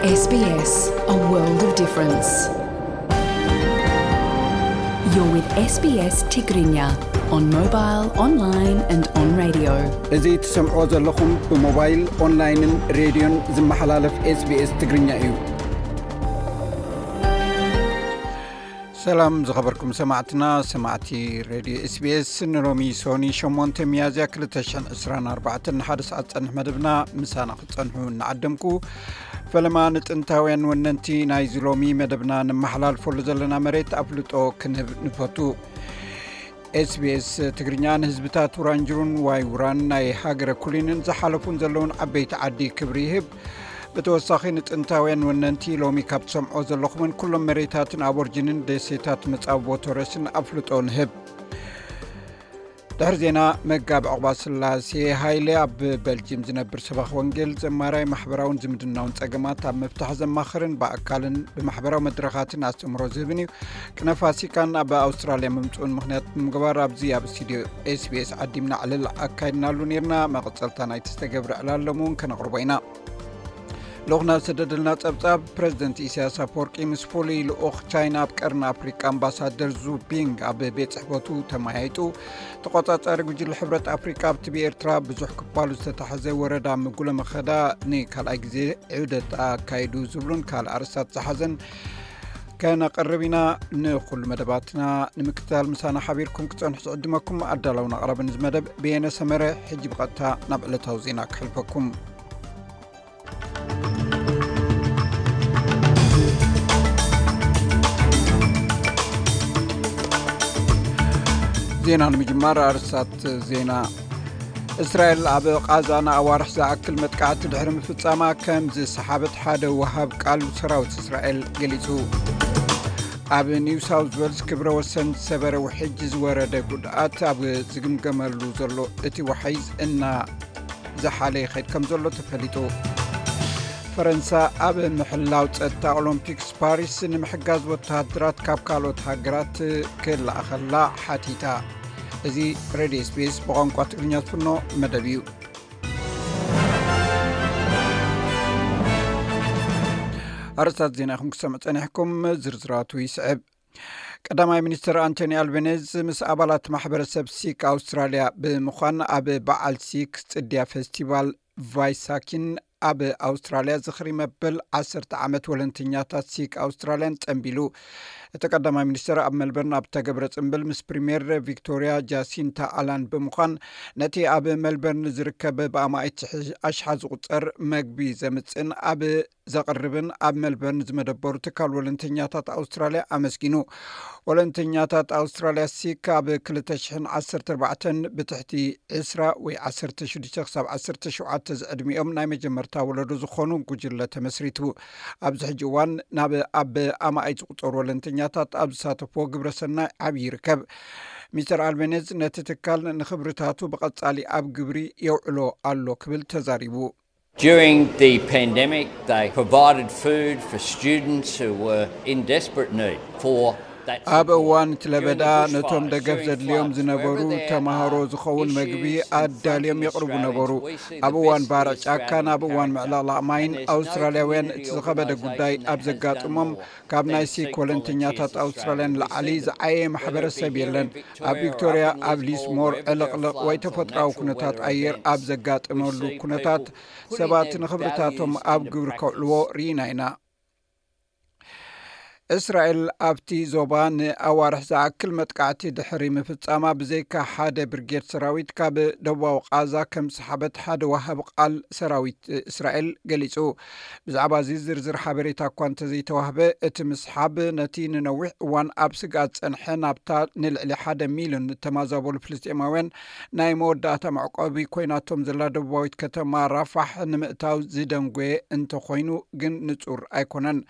S B S, a world of difference. You're with S B S Tigrinya on mobile, online and on radio. እዚ ትሰምዕዎ ዘለኹም ብሞባይል፣ ኦንላይንን ሬድዮን ዝመሓላለፍ S B S ትግርኛ እዩ። ሰላም ዝኸበርኩም ሰማዕትና፣ ሰማዕቲ ሬድዮ S B S፣ ንሎሚ ሶኒ ሸሞንተ ሚያዝያ ክልተ ሽሕን ዕስራን ኣርባዕተን ሓደ ሰዓት ጸንሕ መደብና ምሳና ክትጸንሑ እናዓደምኩ፣ ፈለማ ንጥንታውያን ወነንቲ ናይዚ ሎሚ መደብና ነመሓላልፈሉ ዘለና መሬት ኣፍልጦ ክንህብ ንፈቱ። S B S ትግርኛ ንህዝብታት ውራንጅሩን ዋይ ውራን ናይ ሃገረ ኩሊንን ዝሓለፉን ዘለውን ዓበይቲ ዓዲ ክብሪ ይህብ። ብተወሳኺ ንጥንታውያን ወነንቲ ሎሚ ካብ ትሰምዖ ዘለኹምን ኩሎም መሬታትን ኣቦርጅንን ደሴታት መጻብቦ ቶረስን ኣፍልጦ ንህብ። ድሕሪ ዜና፣ መጋቢ ዕቑባ ስላሴ ሃይለ ኣብ በልጅም ዝነብር ሰባኽ ወንጌል ዘማራይ ማሕበራውን ዝምድናውን ጸገማት ኣብ ምፍታሕ ዘማኽርን ብኣካልን ብማሕበራዊ መድረኻትን ኣስተምህሮ ዝህብን እዩ። ቅነ ፋሲካን ኣብ ኣውስትራልያ ምምጽኡን ምኽንያት ብምግባር ኣብዚ ኣብ ስቱድዮ S B S ዓዲምና ዕልል ኣካይድናሉ ነይርና። መቐጸልታ ናይቲ ዝተገብረ ዕላል ሎም እውን ከነቕርቦ ኢና። ልኡኽና ዝሰደደልና ጸብጻብ፣ ፕረዚደንት ኢሳያስ ኣፈወርቂ ምስ ፍሉይ ልኡኽ ቻይና ኣብ ቀርኒ ኣፍሪቃ ኣምባሳደር ዙ ቢንግ ኣብ ቤት ጽሕፈቱ ተመያይጡ። ተቖጻጻሪ ጉጅለ ሕብረት ኣፍሪቃ ኣብቲ ብኤርትራ ብዙሕ ክፋሉ ዝተታሕዘ ወረዳ ምጉለ መኸዳ ንካልኣይ ግዜ ዑደት ኣካይዱ ዝብሉን ካልእ ኣርእስታት ዝሓዘን ከነቕርብ ኢና። ንኹሉ መደባትና ንምክትታል ምሳና ሓቢርኩም ክጸንሑ ዝዕድመኩም ኣዳላውን ኣቕራብን እዚ መደብ ብየነ ሰመረ። ሕጂ ብቐጥታ ናብ ዕለታዊ ዜና ክሕልፈኩም። ዜና ንምጅማር ኣርስታት ዜና። እስራኤል ኣብ ቃዛ ንኣዋርሕ ዝኣክል መጥቃዕቲ ድሕሪ ምፍጻማ ከም ዝሰሓበት ሓደ ወሃብ ቃል ሰራዊት እስራኤል ገሊጹ። ኣብ ኒው ሳውዝ ዌልስ ክብረ ወሰን ዝሰበረ ውሕጅ ዝወረደ ጉድኣት ኣብ ዝግምገመሉ ዘሎ እቲ ዋሕዝ እና ዝሓለ ይኸይድ ከም ዘሎ ተፈሊጡ። ፈረንሳ ኣብ ምሕላው ጸጥታ ኦሎምፒክስ ፓሪስ ንምሕጋዝ ወተሃደራት ካብ ካልኦት ሃገራት ክለኣኸላ ሓቲታ። እዚ ሬድዮ S B S ብቋንቋ ትግርኛ ዝፍኖ መደብ እዩ። ኣርእስታት ዜና ኢኹም ክሰምዑ ጸኒሕኩም፣ ዝርዝራቱ ይስዕብ። ቀዳማይ ሚኒስትር ኣንቶኒ ኣልቤኔዝ ምስ ኣባላት ማሕበረሰብ ሲክ ኣውስትራልያ ብምዃን ኣብ በዓል ሲክ ጽድያ ፌስቲቫል ቫይሳኪን ኣብ ኣውስትራልያ ዝኽሪ መበል ዓሰርተ ዓመት ወለንተኛታት ሲክ ኣውስትራልያን ጸንቢሉ። እቲ ቀዳማይ ሚኒስትር ኣብ መልበርን ኣብ ተገብረ ጽምብል ምስ ፕሪምየር ቪክቶሪያ ጃሲንታ ኣላን ብምዃን ነቲ ኣብ መልበርን ዝርከብ ብኣማኢት ኣሽሓ ዝቑጸር መግቢ ዘምጽእን ኣብ ዘቕርብን ኣብ መልበርን ዝመደበሩ ትካል ወለንተኛታት ኣውስትራልያ ኣመስጊኑ። ወለንተኛታት ኣውስትራልያ ሲክ ኣብ ክልተ ሽሕን ዓሰርተ ኣርባዕተን ብትሕቲ ዕስራ ወይ ዓሰርተ ሽዱሽተ ክሳብ ዓሰርተ ሸውዓተ ዝዕድሚኦም ናይ መጀመርታ ወለዶ ዝኾኑ ጉጅለ ተመስሪቱ። ኣብዚ ሕጂ እዋን ናብ ኣብ ኣማኢት ዝቑጸሩ ወለንተኛታት ኣብ ዝሳተፍዎ ግብረ ሰናይ ዓብዪ ይርከብ። ሚስተር ኣልቤኔዝ ነቲ ትካል ንኽብርታቱ ብቐጻሊ ኣብ ግብሪ የውዕሎ ኣሎ ክብል ተዛሪቡ። During the pandemic, they provided food for students who were in desperate need for that ኣብ support. እዋን እቲ ለበዳ ነቶም ደገፍ ዘድልዮም ዝነበሩ ተማሃሮ ዝኸውን መግቢ ኣዳልዮም የቕርቡ ነበሩ። ኣብ እዋን ባርዕ ጫካን ኣብ እዋን ምዕልቕላቕ ማይን ኣውስትራልያውያን እቲ ዝኸበደ ጉዳይ ኣብ ዘጋጥሞም ካብ ናይ ሲክ ወለንተኛታት ኣውስትራልያ ንላዕሊ ዝዓየየ ማሕበረሰብ የለን። ኣብ ቪክቶርያ፣ ኣብ ሊስሞር፣ ዕልቕልቕ ወይ ተፈጥሮኣዊ ኩነታት ኣየር ኣብ ዘጋጥመሉ ኩነታት ሰባት ንኽብርታቶም ኣብ ግብሪ ከውዕልዎ ርኢና ኢና። እስራኤል ኣብቲ ዞባ ንኣዋርሕ ዝኣክል መጥቃዕቲ ድሕሪ ምፍጻማ ብዘይካ ሓደ ብርጌድ ሰራዊት ካብ ደቡባዊ ቃዛ ከም ዝሰሓበት ሓደ ወሃቢ ቃል ሰራዊት እስራኤል ገሊጹ። ብዛዕባ እዚ ዝርዝር ሓበሬታ እኳ እንተዘይተዋህበ፣ እቲ ምስሓብ ነቲ ንነዊሕ እዋን ኣብ ስግኣት ዝጸንሐ ናብታ ንልዕሊ ሓደ ሚልዮን እተማዛበሉ ፍልስጤማውያን ናይ መወዳእታ መዕቆቢ ኮይናቶም ዘላ ደቡባዊት ከተማ ራፋሕ ንምእታው ዝደንጎየ እንተኾይኑ ግን ንጹር ኣይኮነን።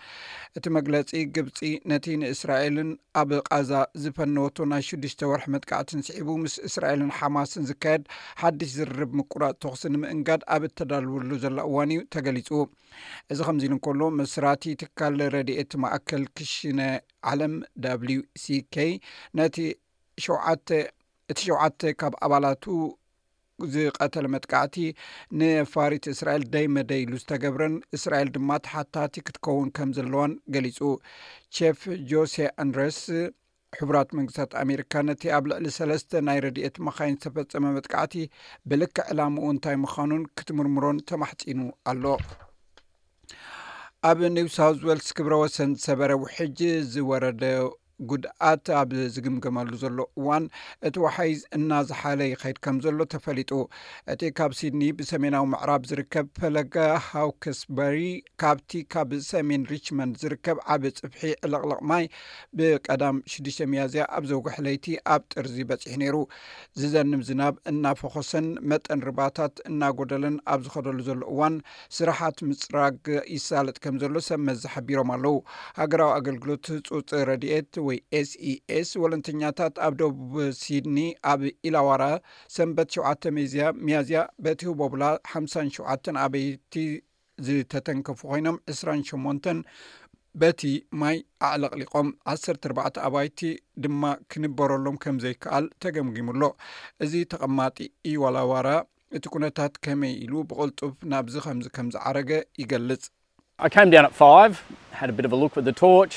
እቲ መግለጺ፣ ግብጺ ነቲ ንእስራኤልን ኣብ ቃዛ ዝፈነወቶ ናይ ሽዱሽተ ወርሒ መጥቃዕትን ስዒቡ ምስ እስራኤልን ሓማስን ዝካየድ ሓድሽ ዝርርብ ምቁራጽ ተኹሲ ንምእንጋድ ኣብ እተዳልወሉ ዘላ እዋን እዩ ተገሊጹ። እዚ ከምዚ ኢሉ እንከሎ፣ መስራቲ ትካል ረድኤት ማእከል ክሽነ ዓለም W C K ነቲ ሸውዓተ እቲ ሸውዓተ ካብ ኣባላቱ ዝቐተለ መጥቃዕቲ ንፋሪት እስራኤል ደይ መደይ ኢሉ ዝተገብረን እስራኤል ድማ ተሓታቲ ክትከውን ከም ዘለዋን ገሊጹ። ቼፍ ጆሴ ኣንድረስ ሕቡራት መንግስታት ኣሜሪካ ነቲ ኣብ ልዕሊ ሰለስተ ናይ ረድኤት መኻይን ዝተፈጸመ መጥቃዕቲ ብልክዕ ዕላምኡ እንታይ ምዃኑን ክትምርምሮን ተማሕጺኑ ኣሎ። ኣብ ኒው ሳውዝ ዌልስ ክብረ ወሰን ዝሰበረ ውሕጅ ዝወረደ ጉድኣት ኣብ ዝግምገመሉ ዘሎ እዋን እቲ ወሓይዝ እናዝሓለ ይኸይድ ከም ዘሎ ተፈሊጡ። እቲ ካብ ሲድኒ ብሰሜናዊ ምዕራብ ዝርከብ ፈለገ ሃውክስበሪ ካብቲ ካብ ሰሜን ሪችመንድ ዝርከብ ዓቢ ጽፍሒ ዕልቕልቕ ማይ ብቀዳም ሽዱሽተ ሚያዝያ ኣብ ዘውግሕ ለይቲ ኣብ ጥርዚ በጺሑ ነይሩ። ዝዘንብ ዝናብ እናፈኾሰን መጠን ርባታት እናጎደለን ኣብ ዝኸደሉ ዘሎ እዋን ስራሓት ምጽራግ ይሳለጥ ከም ዘሎ ሰብ መዚ ሓቢሮም ኣለዉ። ሃገራዊ ኣገልግሎት ህጹጽ ረድኤት ወይ ኤስኢኤስ ወለንተኛታት ኣብ ደቡብ ሲድኒ ኣብ ኢላዋራ ሰንበት ሸውዓተ ሚያዝያ በቲ ህቦብላ ሓምሳን ሸውዓተን ኣበይቲ ዝተተንከፉ ኮይኖም ዕስራን ሸሞንተን በቲ ማይ ኣዕለቕሊቖም ዓሰርተ ኣርባዕተ ኣባይቲ ድማ ክንበረሎም ከም ዘይከኣል ተገምጊሙ ኣሎ። እዚ ተቐማጢ ኢዋላዋራ እቲ ኩነታት ከመይ ኢሉ ብቕልጡፍ ናብዚ ከምዚ ከም ዝዓረገ ይገልጽ። I came down at five, had a bit of a look with the torch.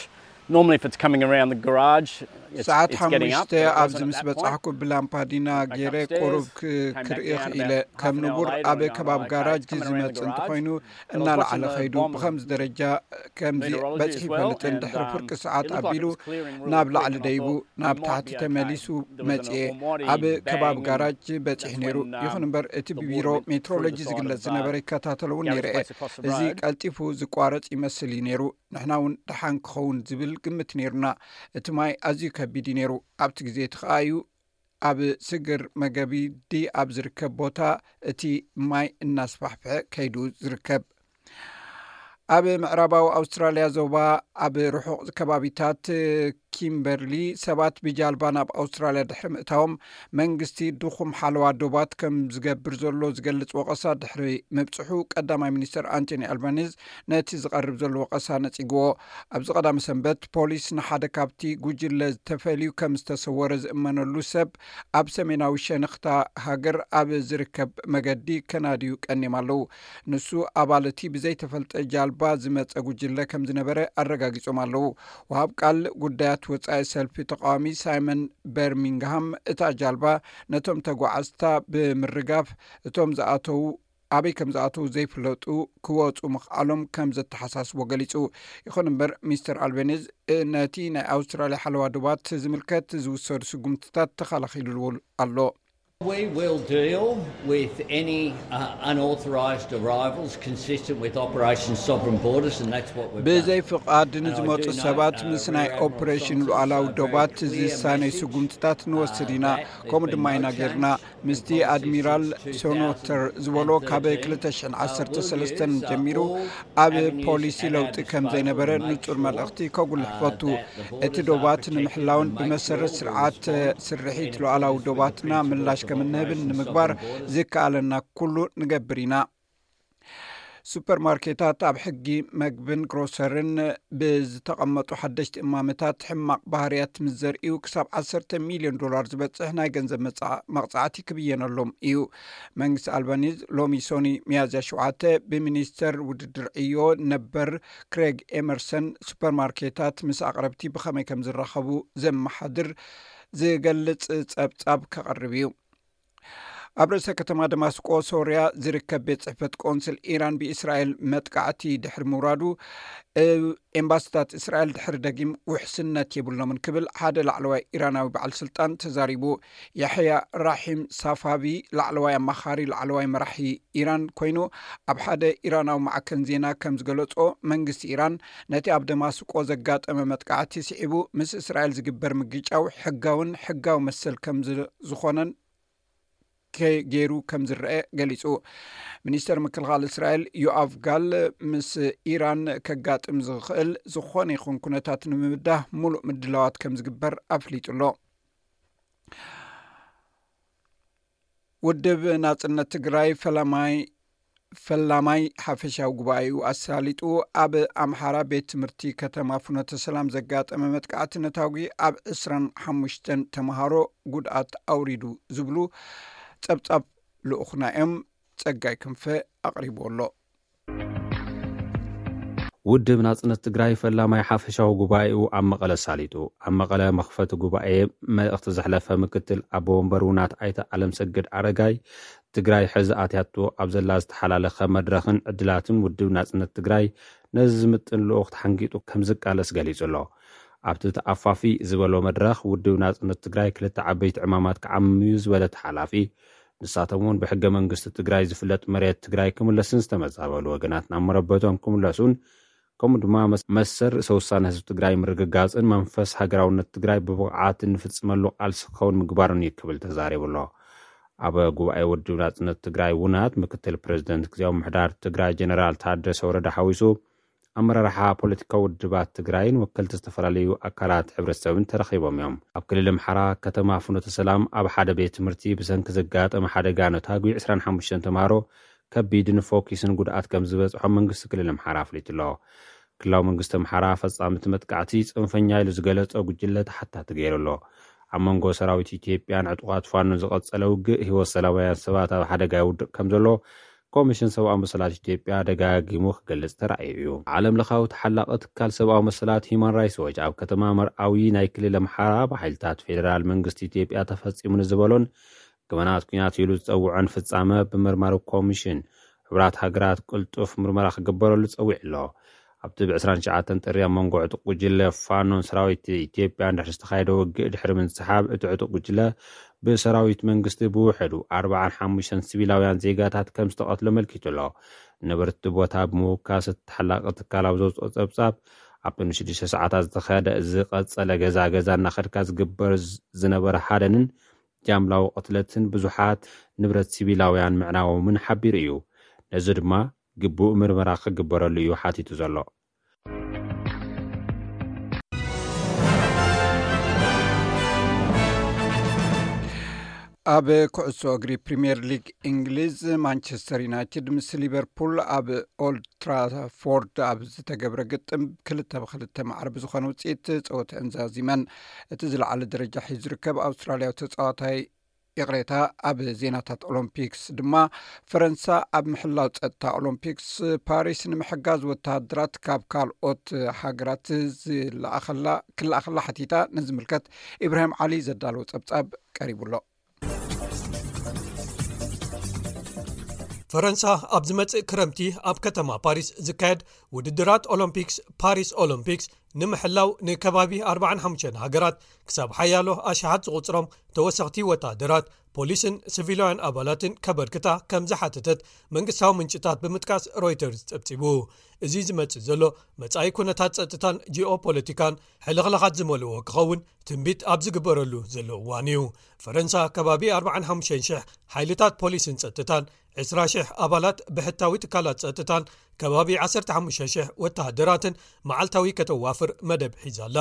Normally, if it's coming around the garage, it's, ሰዓት it's getting up, ሓሙሽተ but it ኣብዚ wasn't at ምስ that point. በጻሕኩ ብላምፓዲና ገይረ ቁሩብ ክርኢ ክኢለ። ከም ንቡር ኣብ ከባቢ ጋራጅ ዝመጽእ እንተኾይኑ እናለዓለ ኸይዱ ብኸምዚ ደረጃ ከምዚ በጺሑ ይፈልጥን ድሕሪ ፍርቂ ሰዓት ኣቢሉ ናብ ላዕሊ ደይቡ ናብ ታሕቲ ተመሊሱ መጽኤ። ኣብ ከባቢ ጋራጅ በጺሑ ነይሩ። ይኹን እምበር እቲ ብቢሮ ሜትሮሎጂ ዝግለጽ ዝነበረ ይከታተሎ እውን ነይረ እየ። እዚ ቀልጢፉ ዝቋረጽ ይመስል እዩ ነይሩ። ንሕና እውን ደሓን ክኸውን ዝብል ግምት ነይሩና። እቲ ማይ ኣዝዩ ከቢድ እዩ ነይሩ። ኣብቲ ግዜ እቲ ኸኣ እዩ ኣብ ስግር መገቢዲ ኣብ ዝርከብ ቦታ እቲ ማይ እናስፋሕፍሐ ከይዱ ዝርከብ። ኣብ ምዕራባዊ ኣውስትራልያ ዞባ ኣብ ርሑቕ ከባቢታት ኪምበርሊ ሰባት ብጃልባ ናብ ኣውስትራልያ ድሕሪ ምእታዎም መንግስቲ ድኹም ሓለዋ ዶባት ከም ዝገብር ዘሎ ዝገልጽ ወቐሳ ድሕሪ ምብጽሑ ቀዳማይ ሚኒስተር ኣንቶኒ ኣልባኒዝ ነቲ ዝቐርብ ዘሎ ወቐሳ ነጺግዎ። ኣብዚ ቀዳመ ሰንበት ፖሊስ ንሓደ ካብቲ ጉጅለ ተፈልዩ ከም ዝተሰወረ ዝእመነሉ ሰብ ኣብ ሰሜናዊ ሸነኽታ ሃገር ኣብ ዝርከብ መገዲ ከናድዩ ቀኒም ኣለዉ። ንሱ ኣባል እቲ ብዘይተፈልጠ ጃልባ ዝመጸ ጉጅለ ከም ዝነበረ ኣረጋጊጾም ኣለዉ። ወሃብ ቃል ጉዳያት ወጻኢ ሰልፊ ተቃዋሚ ሳይመን በርሚንግሃም እታ ጃልባ ነቶም ተጓዓዝታ ብምርጋፍ እቶም ዝኣተዉ ኣበይ ከም ዝኣተዉ ዘይፍለጡ ክወጹ ምኽኣሎም ከም ዘተሓሳስቦ ገሊጹ። ይኹን እምበር ሚስተር ኣልቤኒዝ ነቲ ናይ ኣውስትራልያ ሓለዋ ዶባት ዝምልከት ዝውሰዱ ስጉምትታት ተኸላኺሉሉ ኣሎ። We will deal with any uh, unauthorised arrivals consistent with Operation Sovereign Borders, and that's what we've done. ብዘይ ፍቓድ ንዝመጹ ሰባት ምስ ናይ ኦፕሬሽን ሉዓላዊ ዶባት ዝሳነይ ስጉምትታት ንወስድ ኢና። ከምኡ ድማ ኢና ጌርና። ምስቲ ኣድሚራል ሶኖተር ዝበሎ ካብ ክልተ ሽሕን ዓሰርተ ሰለስተን ጀሚሩ ኣብ ፖሊሲ ለውጢ ከም ዘይነበረ ንጹር መልእኽቲ ከጉልሕ ፈቱ። እቲ ዶባት ንምሕላውን ብመሰረት ስርዓት ስርሒት ሉዓላዊ ዶባትና ምላሽ ከም እንህብን ንምግባር ዝከኣለና ኩሉ ንገብር ኢና። ሱፐርማርኬታት ኣብ ሕጊ መግብን ግሮሰርን ብዝተቐመጡ ሓደሽቲ እማመታት ሕማቕ ባህርያት ምስ ዘርእዩ ክሳብ ዓሰርተ ሚልዮን ዶላር ዝበጽሕ ናይ ገንዘብ መቕጻዕቲ ክብየነሎም እዩ። መንግስቲ ኣልባኒዝ ሎሚ ሶኒ ሚያዝያ ሸውዓተ ብሚኒስተር ውድድር ዕዮ ነበር ክሬግ ኤመርሰን ሱፐርማርኬታት ምስ ኣቕረብቲ ብኸመይ ከም ዝራኸቡ ዘመሓድር ዝገልጽ ጸብጻብ ከቕርብ እዩ። ኣብ ርእሰ ከተማ ደማስቆ ሶርያ ዝርከብ ቤት ጽሕፈት ቆንስል ኢራን ብእስራኤል መጥቃዕቲ ድሕሪ ምውራዱ ኤምባስታት እስራኤል ድሕሪ ደጊም ውሕስነት የብሎምን ክብል ሓደ ላዕለዋይ ኢራናዊ በዓል ስልጣን ተዛሪቡ። ያሕያ ራሒም ሳፋቪ ላዕለዋይ ኣማኻሪ ላዕለዋይ መራሒ ኢራን ኮይኑ ኣብ ሓደ ኢራናዊ ማዕከን ዜና ከም ዝገለጾ መንግስቲ ኢራን ነቲ ኣብ ደማስቆ ዘጋጠመ መጥቃዕቲ ስዒቡ ምስ እስራኤል ዝግበር ምግጫው ሕጋውን ሕጋዊ መሰል ከም ዝኾነን ገይሩ ከም ዝረአ ገሊጹ። ሚኒስተር ምክልኻል እስራኤል ዮኣቭ ጋል ምስ ኢራን ከጋጥም ዝኽእል ዝኾነ ይኹን ኩነታት ንምብዳህ ሙሉእ ምድላዋት ከም ዝግበር ኣፍሊጡ ኣሎ። ውድብ ናጽነት ትግራይ ፈላማይ ፈላማይ ሓፈሻዊ ጉባኤኡ ኣሳሊጡ ኣብ ኣምሓራ ቤት ትምህርቲ ከተማ ፍኖተ ሰላም ዘጋጠመ መጥቃዕቲ ነታጒ ኣብ ዕስራን ሓሙሽተን ተምሃሮ ጉድኣት ኣውሪዱ ዝብሉ ጸብጻብ ልኡኽና እዮም። ጸጋይ ክንፈ ኣቕሪቡ ኣሎ። ውድብ ናጽነት ትግራይ ፈላማይ ሓፈሻዊ ጉባኤኡ ኣብ መቐለ ኣሳሊጡ። ኣብ መቐለ መኽፈቲ ጉባኤ መልእኽቲ ዘሕለፈ ምክትል ኣቦ ወንበር ውናት ኣይተ ኣለምሰገድ ኣረጋይ፣ ትግራይ ሕዚ ኣትያቶ ኣብ ዘላ ዝተሓላለኸ መድረኽን ዕድላትን ውድብ ናጽነት ትግራይ ነዚ ዝምጥን ልኡኽ ተሓንጊጡ ከም ዝቃለስ ገሊጹ ኣሎ። ኣብቲ ተኣፋፊ ዝበሎ መድረኽ ውድብ ናጽነት ትግራይ ክልተ ዓበይቲ ዕማማት ክዓምም እዩ ዝበለ እቲ ሓላፊ፣ ንሳቶም እውን ብሕገ መንግስቲ ትግራይ ዝፍለጥ መሬት ትግራይ ክምለስን ዝተመዛበሉ ወገናት ናብ መረበቶም ክምለሱን ከምኡ ድማ መስ-፣ መሰል ርእሰ ውሳነ ህዝቢ ትግራይ ምርግጋፅን መንፈስ ሃገራውነት ትግራይ ብብቕዓት እንፍፅመሉ ቃልሲ ክኸውን ምግባርን እዩ ክብል ተዛሪቡ ኣሎ። ኣብ ጉባኤ ውድብ ናፅነት ትግራይ ውናት ምክትል ፕሬዚደንት ግዜያዊ ምሕዳር ትግራይ ጀነራል ታደሰ ወረደ ሓዊሱ ኣመራርሓ ፖለቲካዊ ውድባት ትግራይን ወከልቲ ዝተፈላለዩ ኣካላት ሕብረተሰብን ተረኺቦም እዮም። ኣብ ክልል ኣምሓራ ከተማ ፍኖተ ሰላም ኣብ ሓደ ቤት ትምህርቲ ብሰንኪ ዘጋጠመ ሓደጋ ነታጒ ዕስራን ሓሙሽተን ተምሃሮ ከቢድን ፎኪስን ጉድኣት ከም ዝበፅሖም መንግስቲ ክልል ኣምሓራ ኣፍሊጡ ኣሎ። ክልላዊ መንግስቲ ኣምሓራ ፈፃሚ እቲ መጥቃዕቲ ፅንፈኛ ኢሉ ዝገለፆ ጉጅለ ተሓታቲ ገይሩ ኣሎ። ኣብ መንጎ ሰራዊት ኢትዮጵያን ዕጡቓት ፋኖን ዝቐፀለ ውግእ ህይወት ሰላማውያን ሰባት ኣብ ሓደጋ ይውድቕ ከም ዘሎ ኮሚሽን ሰብኣዊ መሰላት ኢትዮጵያ ደጋጊሙ ክገልጽ ተራእዩ እዩ። ዓለም ለኻዊ ተሓላቒ ትካል ሰብኣዊ መሰላት ሂማን ራይትስ ዎች ኣብ ከተማ መርኣዊ ናይ ክልል ኣምሓራ ብሓይልታት ፌደራል መንግስቲ ኢትዮጵያ ተፈጺሙ ንዝበሎን ገበናት ኲናት ኢሉ ዝጸውዖን ፍጻመ ብመርማሪ ኮሚሽን ሕቡራት ሃገራት ቅልጡፍ ምርመራ ክግበረሉ ጸዊዑ ኣሎ። ኣብቲ ብ ዕስራን ትሽዓተን ጥሪ ኣብ መንጎ ዕጡቕ ጉጅለ ፋኖን ሰራዊት ኢትዮጵያን ድሕሪ ዝተኻየደ ውግእ ድሕሪ ምንስሓብ፣ እቲ ዕጡቕ ጉጅለ ብሰራዊት መንግስቲ ብውሕዱ ኣርባዓን ሓሙሽተን ሲቪላውያን ዜጋታት ከም ዝተቐትሉ ኣመልኪቱ ኣሎ። ነበርቲ ቦታ ብምውካስ፣ እቲ ተሓላቒ ትካል ኣብ ዘውፅኦ ጸብጻብ፣ ኣብቲ ንሽዱሽተ ሰዓታት ዝተኻየደ ዝቐጸለ ገዛ ገዛ እናኸድካ ዝግበር ዝ-፣ ዝነበረ ሃደንን ጃምላዊ ቅትለትን ብዙሓት ንብረት ሲቪላውያን ምዕናዎምን ሓቢሩ እዩ። ነዚ ድማ ግቡእ ምርመራ ክግበረሉ እዩ ሓቲቱ ዘሎ። ኣብ ኩዕሶ እግሪ ፕሪምየር ሊግ እንግሊዝ፣ ማንቸስተር ዩናይትድ ምስ ሊቨርፑል ኣብ ኦልድ ትራፎርድ ኣብ ዝተገብረ ግጥም ክልተ ብክልተ ማዕረ ብዝኾነ ውፅኢት ፀወተአን ዛዚመን። እቲ ዝለዓለ ደረጃ ሒዙ ዝርከብ ኣውስትራልያዊ ተፃዋታይ፣ ይቕሬታ፣ ኣብ ዜናታት ኦሎምፒክስ ድማ፣ ፈረንሳ ኣብ ምሕላው ጸጥታ ኦሎምፒክስ ፓሪስ ንምሕጋዝ ወተሃደራት ካብ ካልኦት ሃገራት ዝለኣኸላ፣ ክለኣኸላ ሓቲታ። ንዝምልከት ኢብራሂም ዓሊ ዘዳለዎ ጸብጻብ ቀሪቡ ኣሎ። ፈረንሳ ኣብ ዝመጽእ ክረምቲ ኣብ ከተማ ፓሪስ ዝካየድ ውድድራት ኦሎምፒክስ፣ ፓሪስ ኦሎምፒክስ፣ ንምሕላው ንከባቢ ኣርባዓን ሓሙሽተን ሃገራት ክሳብ ሓያሎ ኣሽሓት ዝቑጽሮም ተወሰኽቲ ወተሃደራት፣ ፖሊስን ሲቪላውያን ኣባላትን ከበርክታ ከም ዝሓተተት መንግስታዊ ምንጭታት ብምጥቃስ ሮይተርስ ጸብጺቡ። እዚ ዝመጽእ ዘሎ መጻኢ ኩነታት ጸጥታን ጂኦፖለቲካን ሕልኽላኻት ዝመልኦ ክኸውን ትንቢት ኣብ ዝግበረሉ ዘሎ እዋን እዩ። ፈረንሳ ከባቢ ኣርባዓን ሓሙሽተን ሽሕ ሓይልታት ፖሊስን ጸጥታን፣ ዕስራ ሽሕ ኣባላት ብሕታዊ ትካላት ጸጥታን ከባቢ ዓሰርተ ሓሙሽተ ሽሕ ወተሃደራትን መዓልታዊ ከተዋፍር መደብ ሒዛ ኣላ።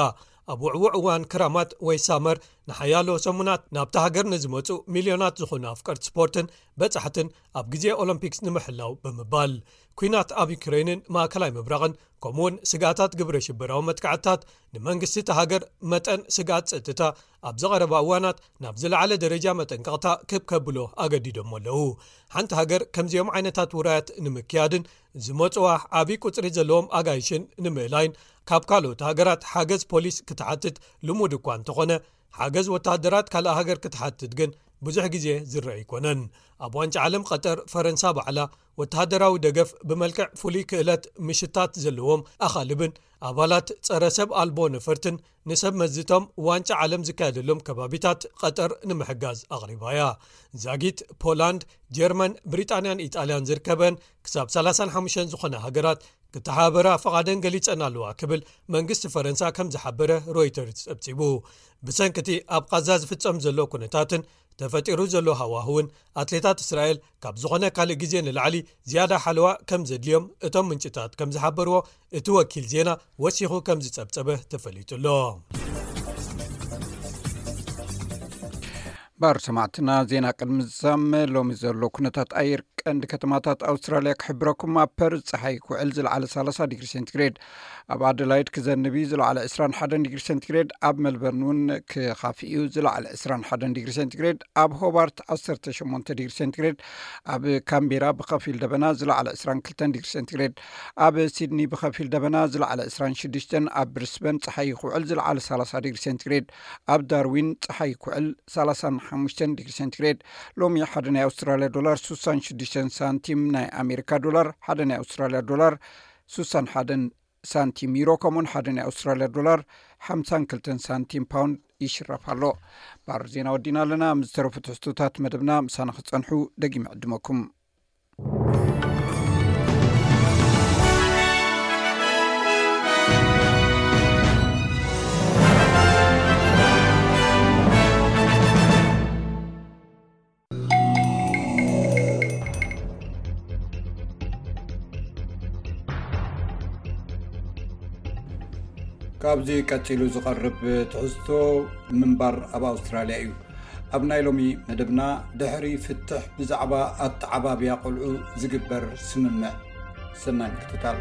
ኣብ ውዕዉዕ እዋን ክራማት ወይ ሳመር ንሓያሎ ሰሙናት ናብታ ሃገር ንዝመጹ ሚልዮናት ዝኾኑ ኣፍቀርቲ ስፖርትን በጻሕትን ኣብ ግዜ ኦሎምፒክስ ንምሕላው ብምባል፣ ኲናት ኣብ ዩክሬንን ማእከላይ ምብራቕን ከምኡውን ስግኣታት ግብረ ሽበራዊ መጥቃዕትታት ንመንግስቲ እታ ሃገር መጠን ስግኣት ጸጥታ ኣብዚ ቀረባ እዋናት ናብ ዝለዓለ ደረጃ መጠንቀቕታ ክብ ከብሎ ኣገዲዶሞ ኣለዉ። ሓንቲ ሃገር ከምዚኦም ዓይነታት ውራያት ንምክያድን ዝመጽዋ ዓቢ ቁጽሪ ዘለዎም ኣጋይሽን ንምእላይን ካብ ካልኦት ሃገራት ሓገዝ ፖሊስ ክትሓትት ልሙድ እኳ እንተኾነ፣ ሓገዝ ወተሃደራት ካልእ ሃገር ክትሓትት ግን ብዙሕ ግዜ ዝረአ ኣይኮነን። ኣብ ዋንጫ ዓለም ቀጠር፣ ፈረንሳ ባዕላ ወተሃደራዊ ደገፍ ብመልክዕ ፍሉይ ክእለት ምሽታት ዘለዎም ኣኻልብን ኣባላት ጸረ ሰብ ኣልቦ ነፈርትን ንሰብ መዝቶም ዋንጫ ዓለም ዝካየደሎም ከባቢታት ቀጠር ንምሕጋዝ ኣቕሪባ እያ። ዛጊት ፖላንድ፣ ጀርመን፣ ብሪጣንያን ኢጣልያን ዝርከበን ክሳብ ሰላሳን ሓሙሽተን ዝኾና ሃገራት ክተሓባበራ ፍቓደን ገሊጸን ኣለዋ ክብል መንግስቲ ፈረንሳ ከም ዝሓበረ ሮይተርስ ጸብጺቡ። ብሰንኪ እቲ ኣብ ቓዛ ዝፍጸም ዘሎ ኩነታትን ተፈጢሩ ዘሎ ሃዋህውን፣ ኣትሌታት እስራኤል ካብ ዝኾነ ካልእ ግዜ ንላዕሊ ዝያዳ ሓለዋ ከም ዘድልዮም እቶም ምንጭታት ከም ዝሓበርዎ እቲ ወኪል ዜና ወሲኹ ከም ዝጸብጸበ ተፈሊጡ ኣሎ። ባር ሰማዕትና፣ ዜና ቅድሚ ዝዛም ሎሚ ዘሎ ኩነታት ኣየር ቀንዲ ከተማታት ኣውስትራልያ ክሕብረኩም፣ ኣብ ፐርዝ ጸሓይ ክውዕል ዝለዓለ ሰላሳ ዲግሪ ሴንቲግሬድ፣ ኣብ ኣደላይድ ክዘንብ እዩ ዝለዓለ ዕስራን ሓደን ዲግሪ ሴንቲግሬድ፣ ኣብ ሜልበርን እውን ክኻፍእ እዩ ዝለዓለ ዕስራን ሓደን ዲግሪ ሴንቲግሬድ፣ ኣብ ሆባርት ዓሰርተ ሸሞንተ ዲግሪ ሴንቲግሬድ፣ ኣብ ካምቤራ ብኸፊል ደበና ዝለዓለ ዕስራን ክልተን ዲግሪ ሴንቲግሬድ፣ ኣብ ሲድኒ ብኸፊል ደበና ዝለዓለ ዕስራን ሽዱሽተን፣ ኣብ ብሪስበን ጸሓይ ክውዕል ዝለዓለ ሰላሳ ዲግሪ ሴንቲግሬድ፣ ኣብ ዳርዊን ጸሓይ ክውዕል ሰላሳን ሓሙሽተን ዲግሪ ሴንቲግሬድ። ሎሚ ሓደ ናይ ኣውስትራልያ ዶላር ሱሳን ሽዱሽተን ሳንቲም፣ ናይ ኣሜሪካ ዶላር ሓደ ናይ ኣውስትራልያ ዶላር ሱሳን ሓደን ሳንቲም፣ ዩሮ ከምኡን ሓደ ናይ ኣውስትራልያ ዶላር ሓምሳን ክልተን ሳንቲም ፓውንድ ይሽረፍ ኣሎ። ባር ዜና ወዲና ኣለና። ምስ ዝተረፉ ትሕዝቶታት መደብና ምሳና ክጸንሑ ደጊመ ዕድመኩም። ካብዚ ቀጺሉ ዝቐርብ ትሕዝቶ፣ ምንባር ኣብ ኣውስትራልያ እዩ። ኣብ ናይ ሎሚ መደብና፣ ድሕሪ ፍትሕ ብዛዕባ ኣተዓባብያ ቆልዑ ዝግበር ስምምዕ። ሰናይ ምክትታል።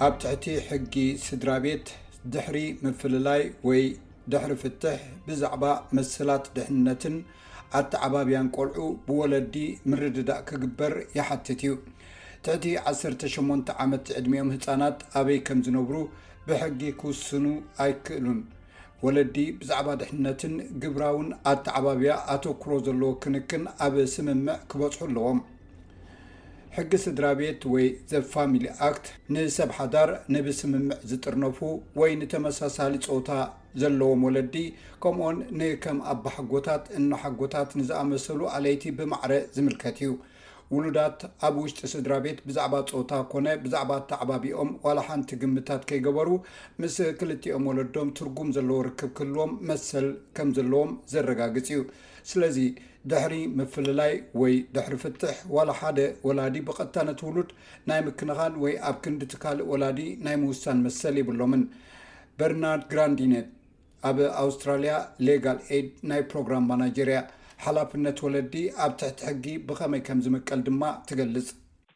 ኣብ ትሕቲ ሕጊ ስድራ ቤት፣ ድሕሪ ምፍልላይ ወይ ድሕሪ ፍትሕ ብዛዕባ መሰላት ድሕነትን ኣተዓባብያን ቆልዑ ብወለዲ ምርድዳእ ክግበር ይሓትት እዩ። ትሕቲ ዓሰርተ ሸሞንተ ዓመት ዕድሚኦም ህጻናት ኣበይ ከም ዝነብሩ ብሕጊ ክውስኑ ኣይክእሉን። ወለዲ ብዛዕባ ድሕነትን ግብራውን ኣተዓባብያ ኣተኩሮ ዘለዎ ክንክን ኣብ ስምምዕ ክበጽሑ ኣለዎም። ሕጊ ስድራ ቤት ወይ ዘ ፋሚሊ ኣክት ንሰብ ሓዳር፣ ንብስምምዕ ዝጥርነፉ ወይ ንተመሳሳሊ ጾታ ዘለዎም ወለዲ፣ ከምኡውን ንከም ኣባሓጎታት፣ እኖሓጎታት ንዝኣመሰሉ ኣለይቲ ብማዕረ ዝምልከት እዩ። ውሉዳት ኣብ ውሽጢ ስድራ ቤት ብዛዕባ ጾታ ኮነ ብዛዕባ ኣተዓባቢኦም ዋላ ሓንቲ ግምታት ከይገበሩ፣ ምስ ክልቲኦም ወለዶም ትርጉም ዘለዎ ርክብ ክህልዎም መሰል ከም ዘለዎም ዘረጋግጽ እዩ። ስለዚ፣ ድሕሪ ምፍልላይ ወይ ድሕሪ ፍትሕ፣ ዋላ ሓደ ወላዲ ብቐጥታ ነቲ ውሉድ ናይ ምክንኻን ወይ ኣብ ክንዲ እቲ ካልእ ወላዲ ናይ ምውሳን መሰል የብሎምን። በርናርድ ግራንዲነት፣ ኣብ ኣውስትራልያ ሌጋል ኤድ ናይ ፕሮግራም ማናጀር እያ። ሓላፍነት ወለዲ ኣብ ትሕቲ ሕጊ ብኸመይ ከም ዝምቀል ድማ ትገልጽ።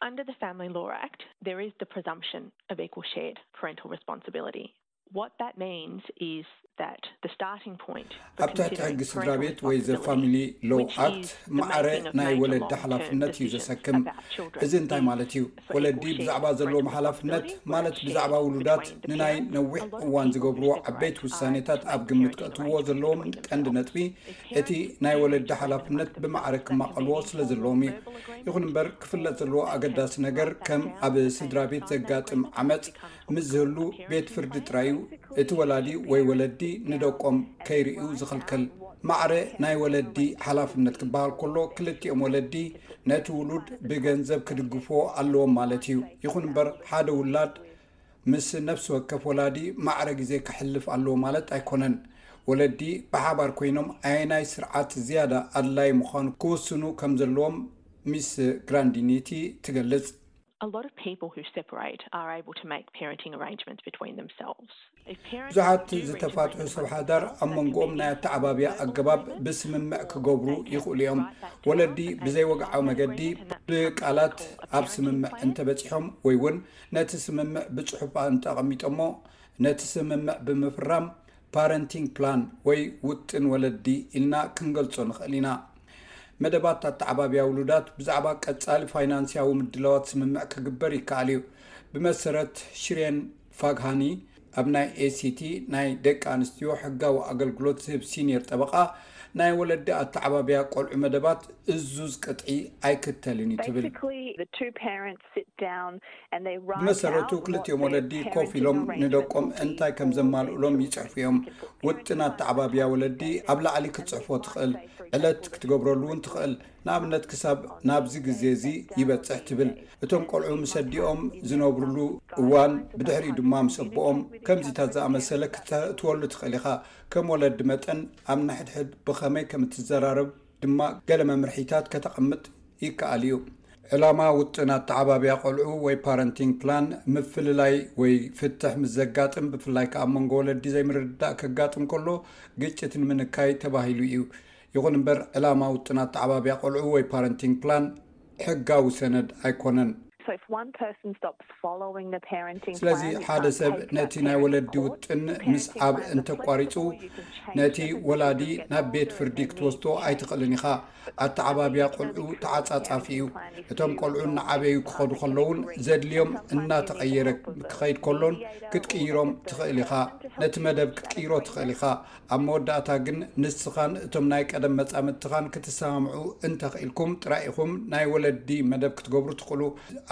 Under the Family Law Act, there is the presumption of equal shared parental responsibility. What that means is that the starting point for ኣብ ትሕቲ ሕጊ ስድራ ቤት ወይ ዘ ፋሚሊ ሎው ኣክት፣ ማዕረ ናይ ወለዲ ሓላፍነት እዩ ዘሰክም። እዚ እንታይ ማለት እዩ? ወለዲ ብዛዕባ ዘለዎም ሓላፍነት፣ ማለት ብዛዕባ ውሉዳት ንናይ ነዊሕ እዋን ዝገብርዎ ዓበይቲ ውሳኔታት ኣብ ግምት ከእትውዎ ዘለዎም ቀንዲ ነጥቢ፣ እቲ ናይ ወለዲ ሓላፍነት ብማዕረ ክማቐልዎ ስለ ዘለዎም እዩ። ይኹን እምበር፣ ክፍለጥ ዘለዎ ኣገዳሲ ነገር፣ ከም ኣብ ስድራ ቤት ዘጋጥም ዓመጽ ምስ ዝህሉ፣ ቤት ፍርዲ ጥራይ እዩ እቲ ወላዲ ወይ ወለዲ ንደቆም ከይርእዩ ዝኽልክል። ማዕረ ናይ ወለዲ ሓላፍነት ክበሃል ከሎ፣ ክልቲኦም ወለዲ ነቲ ውሉድ ብገንዘብ ክድግፍዎ ኣለዎም ማለት እዩ። ይኹን እምበር፣ ሓደ ውላድ ምስ ነፍሲ ወከፍ ወላዲ ማዕረ ግዜ ከሕልፍ ኣለዎ ማለት ኣይኮነን። ወለዲ ብሓባር ኮይኖም ኣየናይ ስርዓት ዝያዳ ኣድላዪ ምዃኑ ክውስኑ ከም ዘለዎም ሚስ ግራንዲኒቲ ትገልጽ። A lot of people who separate are able to make parenting arrangements between themselves. ብዙሓት ዝተፋትሑ ሰብ ሓዳር ኣብ መንጎኦም ናይ ኣተዓባብያ ኣገባብ ብስምምዕ ክገብሩ ይኽእሉ እዮም። ወለዲ ብዘይወግዓዊ መገዲ ብቃላት ኣብ ስምምዕ እንተበጺሖም ወይ እውን ነቲ ስምምዕ ብጽሑፍ እንተቐሚጦሞ፣ ነቲ ስምምዕ ብምፍራም ፓረንቲንግ ፕላን ወይ ውጥን ወለዲ ኢልና ክንገልጾ ንኽእል ኢና። መደባት ኣተዓባብያ ውሉዳት ብዛዕባ ቀጻሊ ፋይናንስያዊ ምድላዋት ስምምዕ ክግበር ይከኣል እዩ። ብመሰረት ሽሬን ፋግሃኒ፣ ኣብ ናይ ኤሲቲ ናይ ደቂ ኣንስትዮ ሕጋዊ ኣገልግሎት ዝህብ ሲኒየር ጠበቓ፣ ናይ ወለዲ ኣተዓባብያ ቆልዑ መደባት እዙዝ ቅጥዒ ኣይክተልን እዩ ትብል። Basically, the two parents sit down and they write ብመሰረቱ out what ክልቲኦም their ወለዲ ኮፍ parenting ኢሎም arrangement ንደቆም will be እንታይ ከም for ዘማልኡሎም those ይጽሕፉ እዮም። children. ውጥን ኣተዓባብያ ወለዲ ኣብ ላዕሊ ክትጽሕፎ ትኽእል፣ ዕለት ክትገብረሉ እውን ትኽእል። ንኣብነት፣ ክሳብ ናብዚ ግዜ እዚ ይበጽሕ ትብል። እቶም ቆልዑ ምስ ኣዲኦም ዝነብሩሉ እዋን፣ ብድሕሪኡ ድማ ምስ ኣቦኦም፣ ከምዚታት ዝኣመሰለ ክተእትወሉ ትኽእል ኢኻ። ከም ወለዲ መጠን፣ ኣብ ንሕድሕድ ብኸመይ ከም እትዘራረብ ድማ ገለ መምርሒታት ከተቐምጥ ይከኣል እዩ። ዕላማ ውጥን ኣተዓባብያ ቆልዑ ወይ ፓረንቲንግ ፕላን፣ ምፍልላይ ወይ ፍትሕ ምስ ዘጋጥም፣ ብፍላይ ከኣ ኣብ መንጎ ወለዲ ዘይምርድዳእ ከጋጥም ከሎ፣ ግጭት ንምንካይ ተባሂሉ እዩ። ይኹን እምበር፣ ዕላማ ውጥን ኣተዓባብያ ቆልዑ ወይ ፓረንቲንግ ፕላን ሕጋዊ ሰነድ ኣይኮነን። ስለዚ ሓደ ሰብ ነቲ ናይ ወለዲ ውጥን ምስዓብ እንተቋሪጹ፣ ነቲ ወላዲ ናብ ቤት ፍርዲ ክትወስዶ ኣይትኽእልን ኢኻ። ኣተዓባብያ ቆልዑ ተዓጻጻፊ እዩ። እቶም ቆልዑ እናዓበዩ ክኸዱ ከለውን ዘድልዮም እናተቐየረ ክኸይድ ከሎን ክትቅይሮም ትኽእል ኢኻ። ነቲ መደብ ክትቅይሮ ትኽእል ኢኻ። ኣብ መወዳእታ ግን ንስኻን እቶም ናይ ቀደም መጻምድትኻን ክትሰማምዑ እንተኽኢልኩም ጥራይ ኢኹም ናይ ወለዲ መደብ ክትገብሩ ትኽእሉ።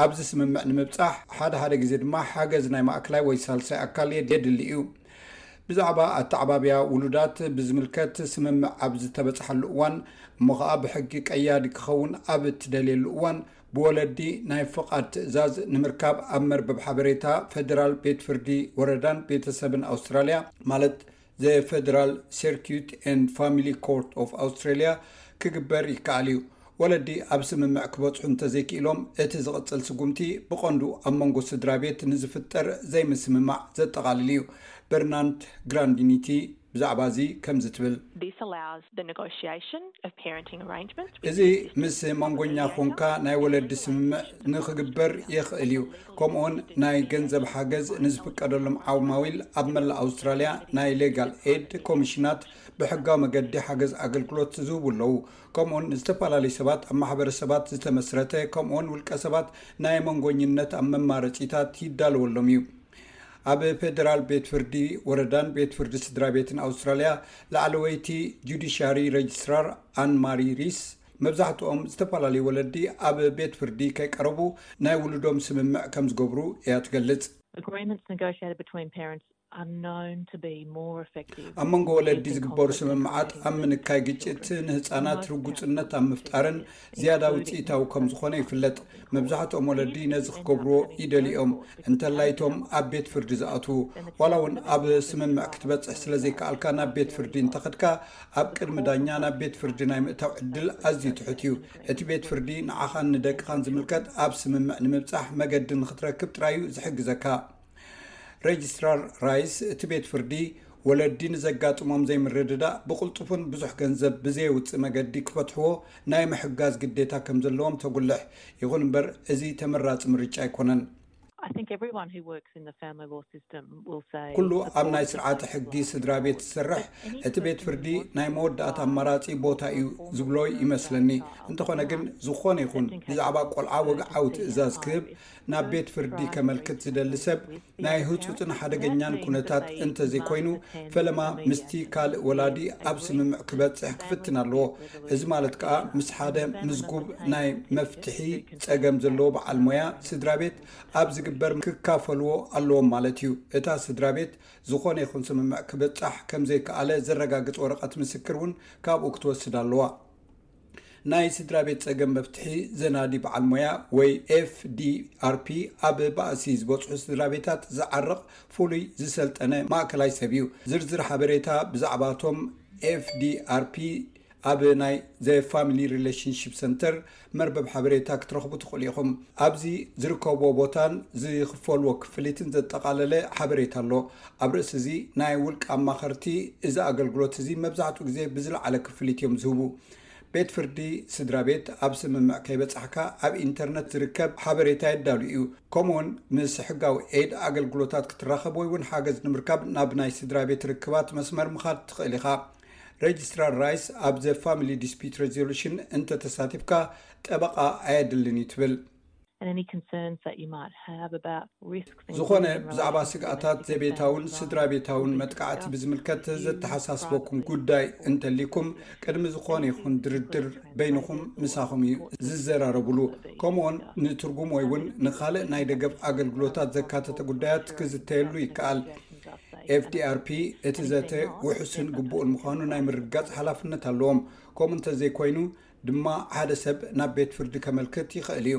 ኣብዚ ስምምዕ ንምብጻሕ ሓደ ሓደ ግዜ ድማ ሓገዝ ናይ ማእከላይ ወይ ሳልሳይ ኣካል የድሊ እዩ። ብዛዕባ ኣተዓባብያ ውሉዳት ብዝምልከት ስምምዕ ኣብ ዝተበጽሓሉ እዋን እሞ ኸኣ ብሕጊ ቀያዲ ክኸውን ኣብ እትደልየሉ እዋን ብወለዲ ናይ ፍቓድ ትእዛዝ ንምርካብ ኣብ መርበብ ሓበሬታ ፈደራል ቤት ፍርዲ ወረዳን ቤተሰብን ኣውስትራልያ ማለት The Federal Circuit and Family Court of Australia ክግበር ይከኣል እዩ። ወለዲ ኣብ ስምምዕ ክበጽሑ እንተዘይክኢሎም እቲ ዝቕጽል ስጉምቲ ብቐንዱ ኣብ መንጎ ስድራ ቤት ንዝፍጠር ዘይምስምማዕ ዘጠቓልል እዩ። በርናንድ ግራንዲኒቲ ብዛዕባ እዚ ከምዚ ትብል። This allows the negotiation of parenting arrangements. እዚ ምስ መንጎኛ ኮንካ ናይ ወለዲ ስምምዕ ንክግበር የኽእል እዩ። ከምኡውን ናይ ገንዘብ ሓገዝ ንዝፍቀደሎም ዓማዊል ኣብ መላእ ኣውስትራልያ ናይ ሌጋል ኤድ ኮሚሽናት ብሕጋዊ መገዲ ሓገዝ ኣገልግሎት ዝህቡ ኣለዉ። ከምኡውን ዝተፈላለዩ ሰባት ኣብ ማሕበረሰባት ዝተመስረተ ከምኡውን ውልቀ ሰባት ናይ መንጎኝነት ኣብ መማረፂታት ይዳለወሎም እዩ። ኣብ ፌደራል ቤት ፍርዲ ወረዳን ቤት ፍርዲ ስድራ ቤትን ኣውስትራልያ ላዕለወይቲ ጁዲሻሪ ረጅስትራር ኣን ማሪ ሪስ መብዛሕትኦም ዝተፈላለዩ ወለዲ ኣብ ቤት ፍርዲ ከይቀረቡ ናይ ውሉዶም ስምምዕ ከም ዝገብሩ እያ ትገልጽ። Agreements negotiated between parents are known to be more effective. ኣብ መንጎ ወለዲ ዝግበሩ ስምምዓት ኣብ ምንካይ ግጭት፣ ንህፃናት ርጉፅነት ኣብ ምፍጣርን ዝያዳ ውፅኢታዊ ከም ዝኾነ ይፍለጥ። መብዛሕትኦም ወለዲ ነዚ ክገብርዎ ይደልዮም እንተላይቶም ኣብ ቤት ፍርዲ ዝኣትዉ። ዋላ እውን ኣብ ስምምዕ ክትበፅሕ ስለ ዘይከኣልካ ናብ ቤት ፍርዲ እንተኸድካ ኣብ ቅድሚ ዳኛ ናብ ቤት ፍርዲ ናይ ምእታው ዕድል ኣዝዩ ትሑት እዩ። እቲ ቤት ፍርዲ ንዓኻን ንደቅኻን ዝምልከት ኣብ ስምምዕ ንምብፃሕ መገዲ ንክትረክብ ጥራይ እዩ ዝሕግዘካ። ረጅስትራር ራይስ እቲ ቤት ፍርዲ ወለዲ ንዘጋጥሞም ዘይምርድዳእ ብቕልጡፍን ብዙሕ ገንዘብ ብዘየውፅእ መገዲ ክፈትሕዎ ናይ ምሕጋዝ ግዴታ ከም ዘለዎም ተጉልሕ። ይኹን እምበር እዚ ተመራፂ ምርጫ ኣይኮነን። I think everyone who works in the family law system will say ኩሉ ኣብ ናይ ስርዓተ ሕጊ ስድራ ቤት ዝሰርሕ እቲ ቤት ፍርዲ ናይ መወዳእታ ኣማራፂ ቦታ እዩ ዝብሎ ይመስለኒ። እንተኾነ ግን ዝኾነ ይኹን ብዛዕባ ቆልዓ ወግዓዊ ትእዛዝ ክህብ ናብ ቤት ፍርዲ ከመልክት ዝደሊ ሰብ ናይ ህጹጽን ሓደገኛን ኩነታት እንተዘይኮይኑ ፈለማ ምስቲ ካልእ ወላዲ ኣብ ስምምዕ ክበጽሕ ክፍትን ኣለዎ። እዚ ማለት ከኣ ምስ ሓደ ምዝጉብ ናይ መፍትሒ ጸገም ዘለዎ በዓል ሞያ ስድራ ቤት ኣብ ዝግበር ክካፈልዎ ኣለዎም ማለት እዩ። እታ ስድራ ቤት ዝኾነ ይኹን ስምምዕ ክብጻሕ ከም ዘይከኣለ ዘረጋግጽ ወረቐት ምስክር እውን ካብኡ ክትወስድ ኣለዋ። ናይ ስድራ ቤት ጸገም መፍትሒ ዘናዲ በዓል ሞያ ወይ ኤፍ ዲ ኣር ፒ ኣብ ባእሲ ዝበጽሑ ስድራ ቤታት ዝዓርቕ ፍሉይ ዝሰልጠነ ማእከላይ ሰብ እዩ። ዝርዝር ሓበሬታ ብዛዕባቶም ኤፍ ዲ ኣር ፒ ኣብ ናይ ዘ ፋሚሊ ሪሌሽንሺፕ ሰንተር መርበብ ሓበሬታ ክትረኽቡ ትኽእሉ ኢኹም። ኣብዚ ዝርከብዎ ቦታን ዝኽፈልዎ ክፍሊትን ዘጠቓለለ ሓበሬታ ኣሎ። ኣብ ርእሲ እዚ ናይ ውልቂ ኣማኸርቲ እዚ ኣገልግሎት እዚ መብዛሕትኡ ግዜ ብዝለዓለ ክፍሊት እዮም ዝህቡ። ቤት ፍርዲ ስድራ ቤት ኣብ ስምምዕ ከይበጻሕካ ኣብ ኢንተርነት ዝርከብ ሓበሬታ የዳሉ እዩ። ከምኡውን ምስ ሕጋዊ ኤድ ኣገልግሎታት ክትራኸብ ወይ እውን ሓገዝ ንምርካብ ናብ ናይ ስድራ ቤት ርክባት መስመር ምኻድ ትኽእል ኢኻ። ረጅስትራር ራይስ ኣብ ዘ ፋሚሊ ዲስፒት ሬዞሉሽን እንተተሳቲፍካ ጠበቓ ኣየድልን እዩ ትብል። And any concerns that you might have about risks, ዝኾነ ብዛዕባ ስግኣታት ዘቤታውን ስድራ ቤታውን መጥቃዕቲ ብዝምልከት ዘተሓሳስበኩም ጉዳይ እንተሊኩም ቅድሚ ዝኾነ ይኹን ድርድር በይንኹም ምሳኹም እዩ ዝዘራረብሉ። ከምኡውን ንትርጉም ወይ እውን ንኻልእ ናይ ደገፍ ኣገልግሎታት ዘካተተ ጉዳያት ክዝተየሉ ይከኣል። ኤፍ ዲ ኣር ፒ እቲ ዘተ ውሑስን ግቡእን ምዃኑ ናይ ምርግጋጽ ሓላፍነት ኣለዎም። ከምኡ እንተዘይኮይኑ ድማ ሓደ ሰብ ናብ ቤት ፍርዲ ከመልክት ይኽእል እዩ።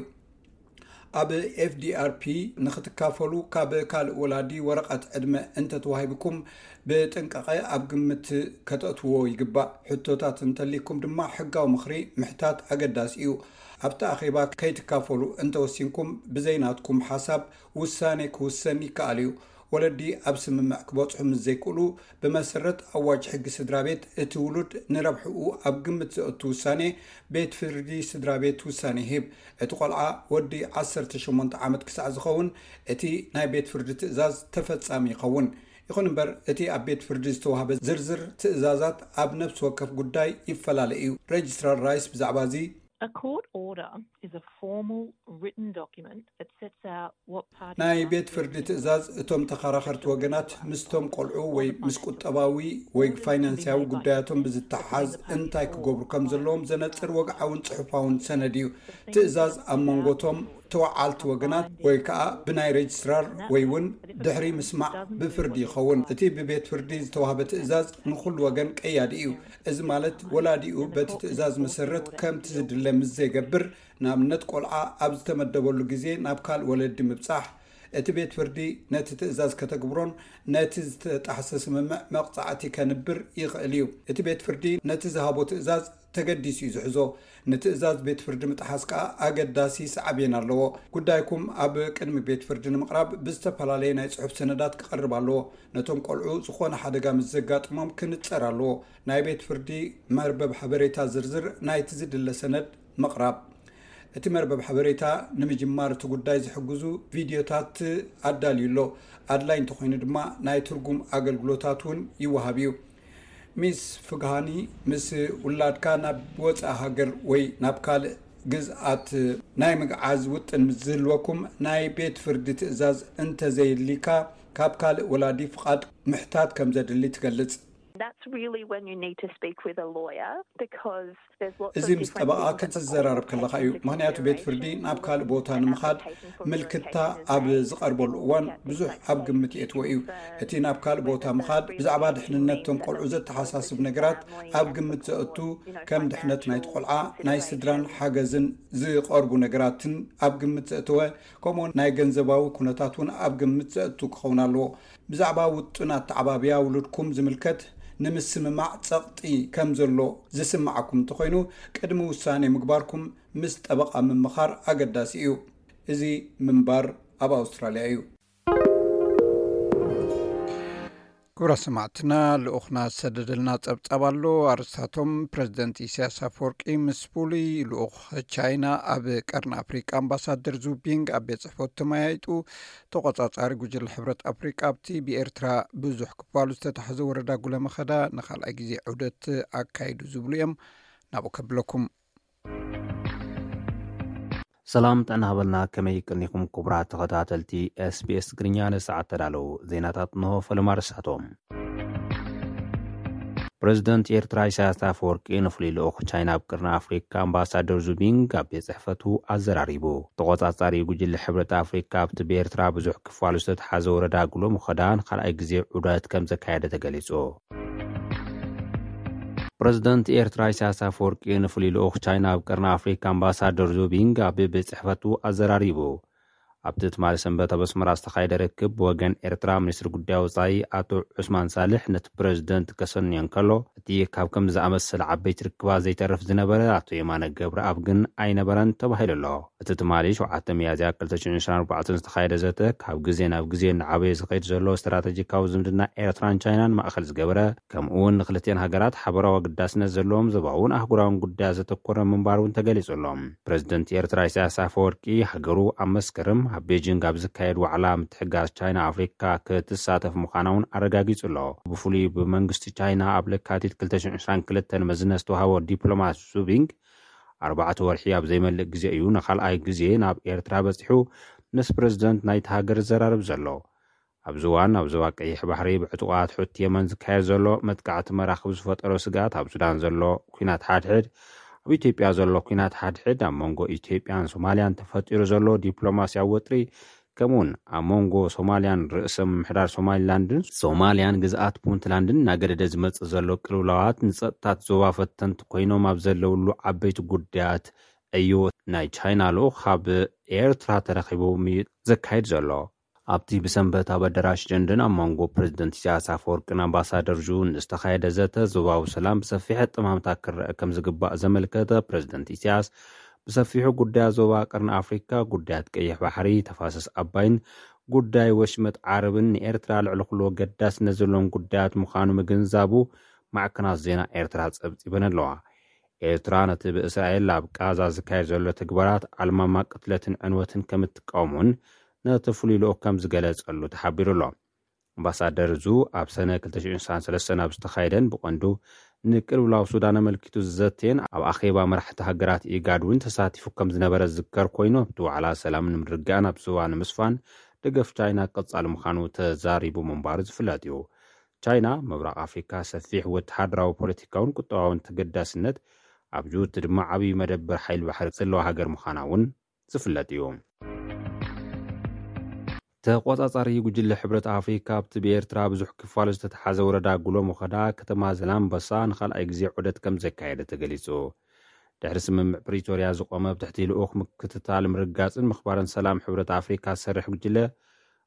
ኣብ ኤፍ ዲ ኣር ፒ ንክትካፈሉ ካብ ካልእ ወላዲ ወረቐት ዕድመ እንተተዋሂብኩም ብጥንቃቐ ኣብ ግምት ከተእትዎ ይግባእ። ሕቶታት እንተሊኩም ድማ ሕጋዊ ምኽሪ ምሕታት ኣገዳሲ እዩ። ኣብቲ ኣኼባ ከይትካፈሉ እንተወሲንኩም ብዘይናትኩም ሓሳብ ውሳኔ ክውሰን ይከኣል እዩ። ወለዲ ኣብ ስምምዕ ክበጽሑ ምስ ዘይክእሉ፣ ብመሰረት ኣዋጅ ሕጊ ስድራ ቤት፣ እቲ ውሉድ ንረብሕኡ ኣብ ግምት ዘእቱ ውሳኔ ቤት ፍርዲ ስድራ ቤት ውሳኔ ይህብ። እቲ ቆልዓ ወዲ ዓሰርተ ሸሞንተ ዓመት ክሳዕ ዝኸውን፣ እቲ ናይ ቤት ፍርዲ ትእዛዝ ተፈጻሚ ይኸውን። ይኹን እምበር፣ እቲ ኣብ ቤት ፍርዲ ዝተዋህበ ዝርዝር ትእዛዛት ኣብ ነፍሲ ወከፍ ጉዳይ ይፈላለ እዩ። ሬጅስትራር ራይስ ብዛዕባ እዚ A court order is a formal written document that sets out what parties ናይ must ቤት do ፍርዲ in ትእዛዝ እቶም ተኸራኸርቲ ወገናት ምስቶም ቆልዑ ወይ ምስ ቁጠባዊ ወይ ፋይናንስያዊ ጉዳያቶም ብዝተሓዝ እንታይ ክገብሩ ከም ዘለዎም ዘነጽር ወግዓውን ጽሑፋውን ሰነድ እዩ። ትእዛዝ ኣብ መንጎቶም ተወዓልቲ ወገናት ወይ ከዓ ብናይ ሬጅስትራር ወይ እውን ድሕሪ ምስማዕ ብፍርዲ ይኸውን። እቲ ብቤት ፍርዲ ዝተዋህበ ትእዛዝ ንኹሉ ወገን ቀያዲ እዩ። እዚ ማለት ወላዲኡ በቲ ትእዛዝ መሰረት ከምቲ ዝድለ ምስ ዘይገብር፣ ንኣብነት ቆልዓ ኣብ ዝተመደበሉ ግዜ ናብ ካልእ ወለዲ ምብጻሕ፣ እቲ ቤት ፍርዲ ነቲ ትእዛዝ ከተግብሮን ነቲ ዝተጣሕሰ ስምምዕ መቕጻዕቲ ከንብር ይኽእል እዩ። እቲ ቤት ፍርዲ ነቲ ዝሃቦ ትእዛዝ ተገዲሱ እዩ ዝሕዞ። ንትእዛዝ ቤት ፍርዲ ምጥሓስ ከኣ ኣገዳሲ ሳዕቤን ኣለዎ። ጉዳይኩም ኣብ ቅድሚ ቤት ፍርዲ ንምቕራብ ብዝተፈላለየ ናይ ጽሑፍ ሰነዳት ክቐርብ ኣለዎ። ነቶም ቆልዑ ዝኾነ ሓደጋ ምስ ዘጋጥሞም ክንጸር ኣለዎ። ናይ ቤት ፍርዲ መርበብ ሓበሬታ ዝርዝር ናይቲ ዝድለ ሰነድ ምቕራብ። እቲ መርበብ ሓበሬታ ንምጅማር እቲ ጉዳይ ዝሕግዙ ቪድዮታት ኣዳልዩ ኣሎ። ኣድላይ እንተኾይኑ ድማ ናይ ትርጉም ኣገልግሎታት እውን ይወሃብ እዩ። ሚስ ፍግሃኒ፣ ምስ ውላድካ ናብ ወፃኢ ሃገር ወይ ናብ ካልእ ግዝኣት ናይ ምግዓዝ ውጥን ምስ ዝህልወኩም፣ ናይ ቤት ፍርዲ ትእዛዝ እንተዘይልካ፣ ካብ ካልእ ወላዲ ፍቓድ ምሕታት ከም ዘድሊ ትገልጽ። That's really when you need to speak with a lawyer because there's lots እዚ ምስ ጠበቓ ክትዘራረብ ከለኻ እዩ። ምኽንያቱ ቤት ፍርዲ ናብ ካልእ ቦታ ንምኻድ ምልክታ ኣብ ዝቐርበሉ እዋን ብዙሕ ኣብ ግምት የእትዎ እዩ። እቲ ናብ ካልእ ቦታ ምኻድ ብዛዕባ ድሕንነት እቶም ቆልዑ ዘተሓሳስብ ነገራት ኣብ ግምት ዘእቱ፣ ከም ድሕነት ናይቲ ቆልዓ፣ ናይ ስድራን ሓገዝን ዝቐርቡ ነገራትን ኣብ ግምት ዘእተወ፣ ከምኡውን ናይ ገንዘባዊ ኩነታት እውን ኣብ ግምት ዘእቱ ክኸውን ኣለዎ። ብዛዕባ ውጥን ኣተዓባብያ ውሉድኩም ዝምልከት ንምስምማዕ ጸቕጢ ከም ዘሎ ዝስምዓኩም እንተኾይኑ፣ ቅድሚ ውሳኔ ምግባርኩም ምስ ጠበቓ ምምኻር ኣገዳሲ እዩ። እዚ ምንባር ኣብ ኣውስትራልያ እዩ። ክቡራት ሰማዕትና፣ ልኡኽና ዝሰደደልና ጸብጻብ ኣሎ። ኣርስታቶም፣ ፕረዚደንት ኢሳያስ ኣፈወርቂ ምስ ፍሉይ ልኡኽ ቻይና ኣብ ቀርኒ ኣፍሪቃ ኣምባሳደር ዙ ቢንግ ኣብ ቤት ጽሕፈቱ ተመያይጡ። ተቖጻጻሪ ጉጅለ ሕብረት ኣፍሪቃ ኣብቲ ብኤርትራ ብዙሕ ክፋሉ ዝተታሕዘ ወረዳ ጉለመኸዳ ንኻልኣይ ግዜ ዑደት ኣካይዱ ዝብሉ እዮም። ናብኡ ከብለኩም። ሰላም ጥዕና ሃበልና። ከመይ ቀኒኹም ክቡራት ተኸታተልቲ ኤስቢኤስ ትግርኛ? ንሰዓት ተዳለዉ ዜናታት እንሆ። ፈለማ ርሳቶም። ፕረዚደንት ኤርትራ ኢሳያስ ኣፈወርቂ ንፍሉይ ልኡኽ ቻይና ኣብ ቅርኒ ኣፍሪካ ኣምባሳደር ዙቢንግ ኣብ ቤት ጽሕፈቱ ኣዘራሪቡ። ተቖጻጻሪ ጉጅለ ሕብረት ኣፍሪካ ኣብቲ ብኤርትራ ብዙሕ ክፋሉ ዝተተሓዘ ወረዳ ጉሎ ምኸዳ ንኻልኣይ ግዜ ዑደት ከም ዘካየደ ተገሊጹ። ፕረዚደንት ኤርትራ ኢሳያስ ኣፈወርቂ ንፍሉይ ልኡኽ ቻይና ኣብ ቅርኒ ኣፍሪካ ኣምባሳደር ዙቢንግ ኣብ ቤት ጽሕፈቱ ኣዘራሪቡ። ኣብቲ ትማሊ ሰንበት ኣብ ኣስመራ ዝተኻየደ ርክብ ብወገን ኤርትራ ሚኒስትሪ ጉዳይ ወጻኢ ኣቶ ዑስማን ሳልሕ ነቲ ፕረዚደንት ከሰንዮ እንከሎ፣ እቲ ካብ ከም ዝኣመሰለ ዓበይቲ ርክባት ዘይተርፍ ዝነበረ ኣቶ የማነ ገብረኣብ ግን ኣይነበረን ተባሂሉ ኣሎ። እቲ ትማሊ ሸውዓተ ሚያዝያ ክልተ ሽሕን ዕስራን ኣርባዕተን ዝተኻየደ ዘተ ካብ ግዜ ናብ ግዜ እናዓበየ ዝኸይድ ዘሎ ስትራተጂካዊ ዝምድና ኤርትራን ቻይናን ማእኸል ዝገበረ፣ ከምኡ እውን ንክልቲኣን ሃገራት ሓበራዊ ኣገዳስነት ዘለዎም ዞባውን ኣህጉራውን ጉዳያት ዘተኮረ ምንባሩ እውን ተገሊጹ ኣሎ። ፕረዚደንት ኤርትራ ኢሳያስ ኣፈወርቂ ሃገሩ ኣብ መስከረም ኣብ ቤጂንግ ኣብ ዝካየድ ዋዕላ ምትሕግጋዝ ቻይና ኣፍሪካ ክትሳተፍ ምዃና እውን ኣረጋጊጹ ኣሎ። ብፍሉይ ብመንግስቲ ቻይና ኣብ ለካቲት ክልተ ሽሕን ዕስራን ክልተን መዝነት ዝተዋሃቦ ዲፕሎማት ዙቢንግ ኣርባዕተ ወርሒ ኣብ ዘይመልእ ግዜ እዩ ንኻልኣይ ግዜ ናብ ኤርትራ በጺሑ ምስ ፕረዚደንት ናይቲ ሃገር ዝዘራረብ ዘሎ። ኣብዚ እዋን ኣብ ዞባ ቀይሕ ባሕሪ ብዕጡቓት ሑቲ የመን ዝካየድ ዘሎ መጥቃዕቲ መራኽብ ዝፈጠሮ ስግኣት፣ ኣብ ሱዳን ዘሎ ኲናት ሓድሕድ፣ ኣብ ኢትዮጵያ ዘሎ ኲናት ሓድሕድ፣ ኣብ መንጎ ኢትዮጵያን ሶማልያን ተፈጢሩ ዘሎ ዲፕሎማስያዊ ወጥሪ፣ ከምኡውን ኣብ መንጎ ሶማልያን ርእሰ ምምሕዳር ሶማሊላንድን ሶማልያን ግዝኣት ፑንትላንድን እናገደደ ዝመጽእ ዘሎ ቅልውላዋት ንጸጥታት ዞባ ፈተንቲ ኮይኖም ኣብ ዘለውሉ ዓበይቲ ጉዳያት እዩ ናይ ቻይና ልኡኽ ካብ ኤርትራ ተረኺቡ ምይይጥ ዘካይድ ዘሎ። ኣብቲ ብሰንበት ኣብ ኣዳራሽ ጀንደን ኣብ መንጎ ፕረዚደንት ኢሳያስ ኣፈወርቅን ኣምባሳደር ዙን ዝተኻየደ ዘተ፣ ዞባዊ ሰላም ብሰፊሕ ኣጠማምታ ክረአ ከም ዝግባእ ዘመልከተ ፕረዚደንት ኢሳያስ፣ ብሰፊሑ ጉዳያት ዞባ ቀርኒ ኣፍሪካ፣ ጉዳያት ቀይሕ ባሕሪ፣ ተፋሰስ ኣባይን ጉዳይ ወሽመጥ ዓረብን ንኤርትራ ልዕሊ ኩሉ ገዳስነት ዘለዎም ጉዳያት ምዃኑ ምግንዛቡ ማዕከናት ዜና ኤርትራ ጸብጺበን ኣለዋ። ኤርትራ ነቲ ብእስራኤል ኣብ ቃዛ ዝካየድ ዘሎ ተግባራት ኣልማማ ቅትለትን ዕንወትን ከም እትቃወም እውን ነቲ ፍሉይ ልኡኽ ከም ዝገለጸሉ ተሓቢሩ ኣሎ። ኣምባሳደር ዙ ኣብ ሰነ ክልተ ሽሕን ሰለስተን ኣብ ዝተኻየደን ብቐንዱ ንቅልውላው ሱዳን ኣመልኪቱ ዝዘተየን ኣብ ኣኼባ መራሕቲ ሃገራት ኢጋድ እውን ተሳቲፉ ከም ዝነበረ ዝዝከር ኮይኑ፣ ኣብቲ ዋዕላ ሰላምን ምርግጋእን ኣብ ዞባ ንምስፋን ደገፍ ቻይና ቀጻሊ ምዃኑ ተዛሪቡ ምንባሩ ዝፍለጥ እዩ። ቻይና ምብራቕ ኣፍሪካ ሰፊሕ ወተሃደራዊ፣ ፖለቲካውን ቁጠባውን ተገዳስነት ኣብ ጅቡቲ ድማ ዓብዪ መደበር ሓይሊ ባሕሪ ዘለዋ ሃገር ምዃና እውን ዝፍለጥ እዩ። ተቆጻጻሪ ጉጅለ ሕብረት ኣፍሪካ ኣብቲ ብኤርትራ ብዙሕ ክፋሉ ዝተተሓዘ ወረዳ ጉሎ መኸዳ ከተማ ዘላምበሳ ንኻልኣይ ግዜ ዑደት ከም ዘካየደ ተገሊጹ። ድሕሪ ስምምዕ ፕሪቶርያ ዝቆመ ኣብ ትሕቲ ልኡኽ ምክትታል ምርጋጽን ምኽባርን ሰላም ሕብረት ኣፍሪካ ዝሰርሕ ጉጅለ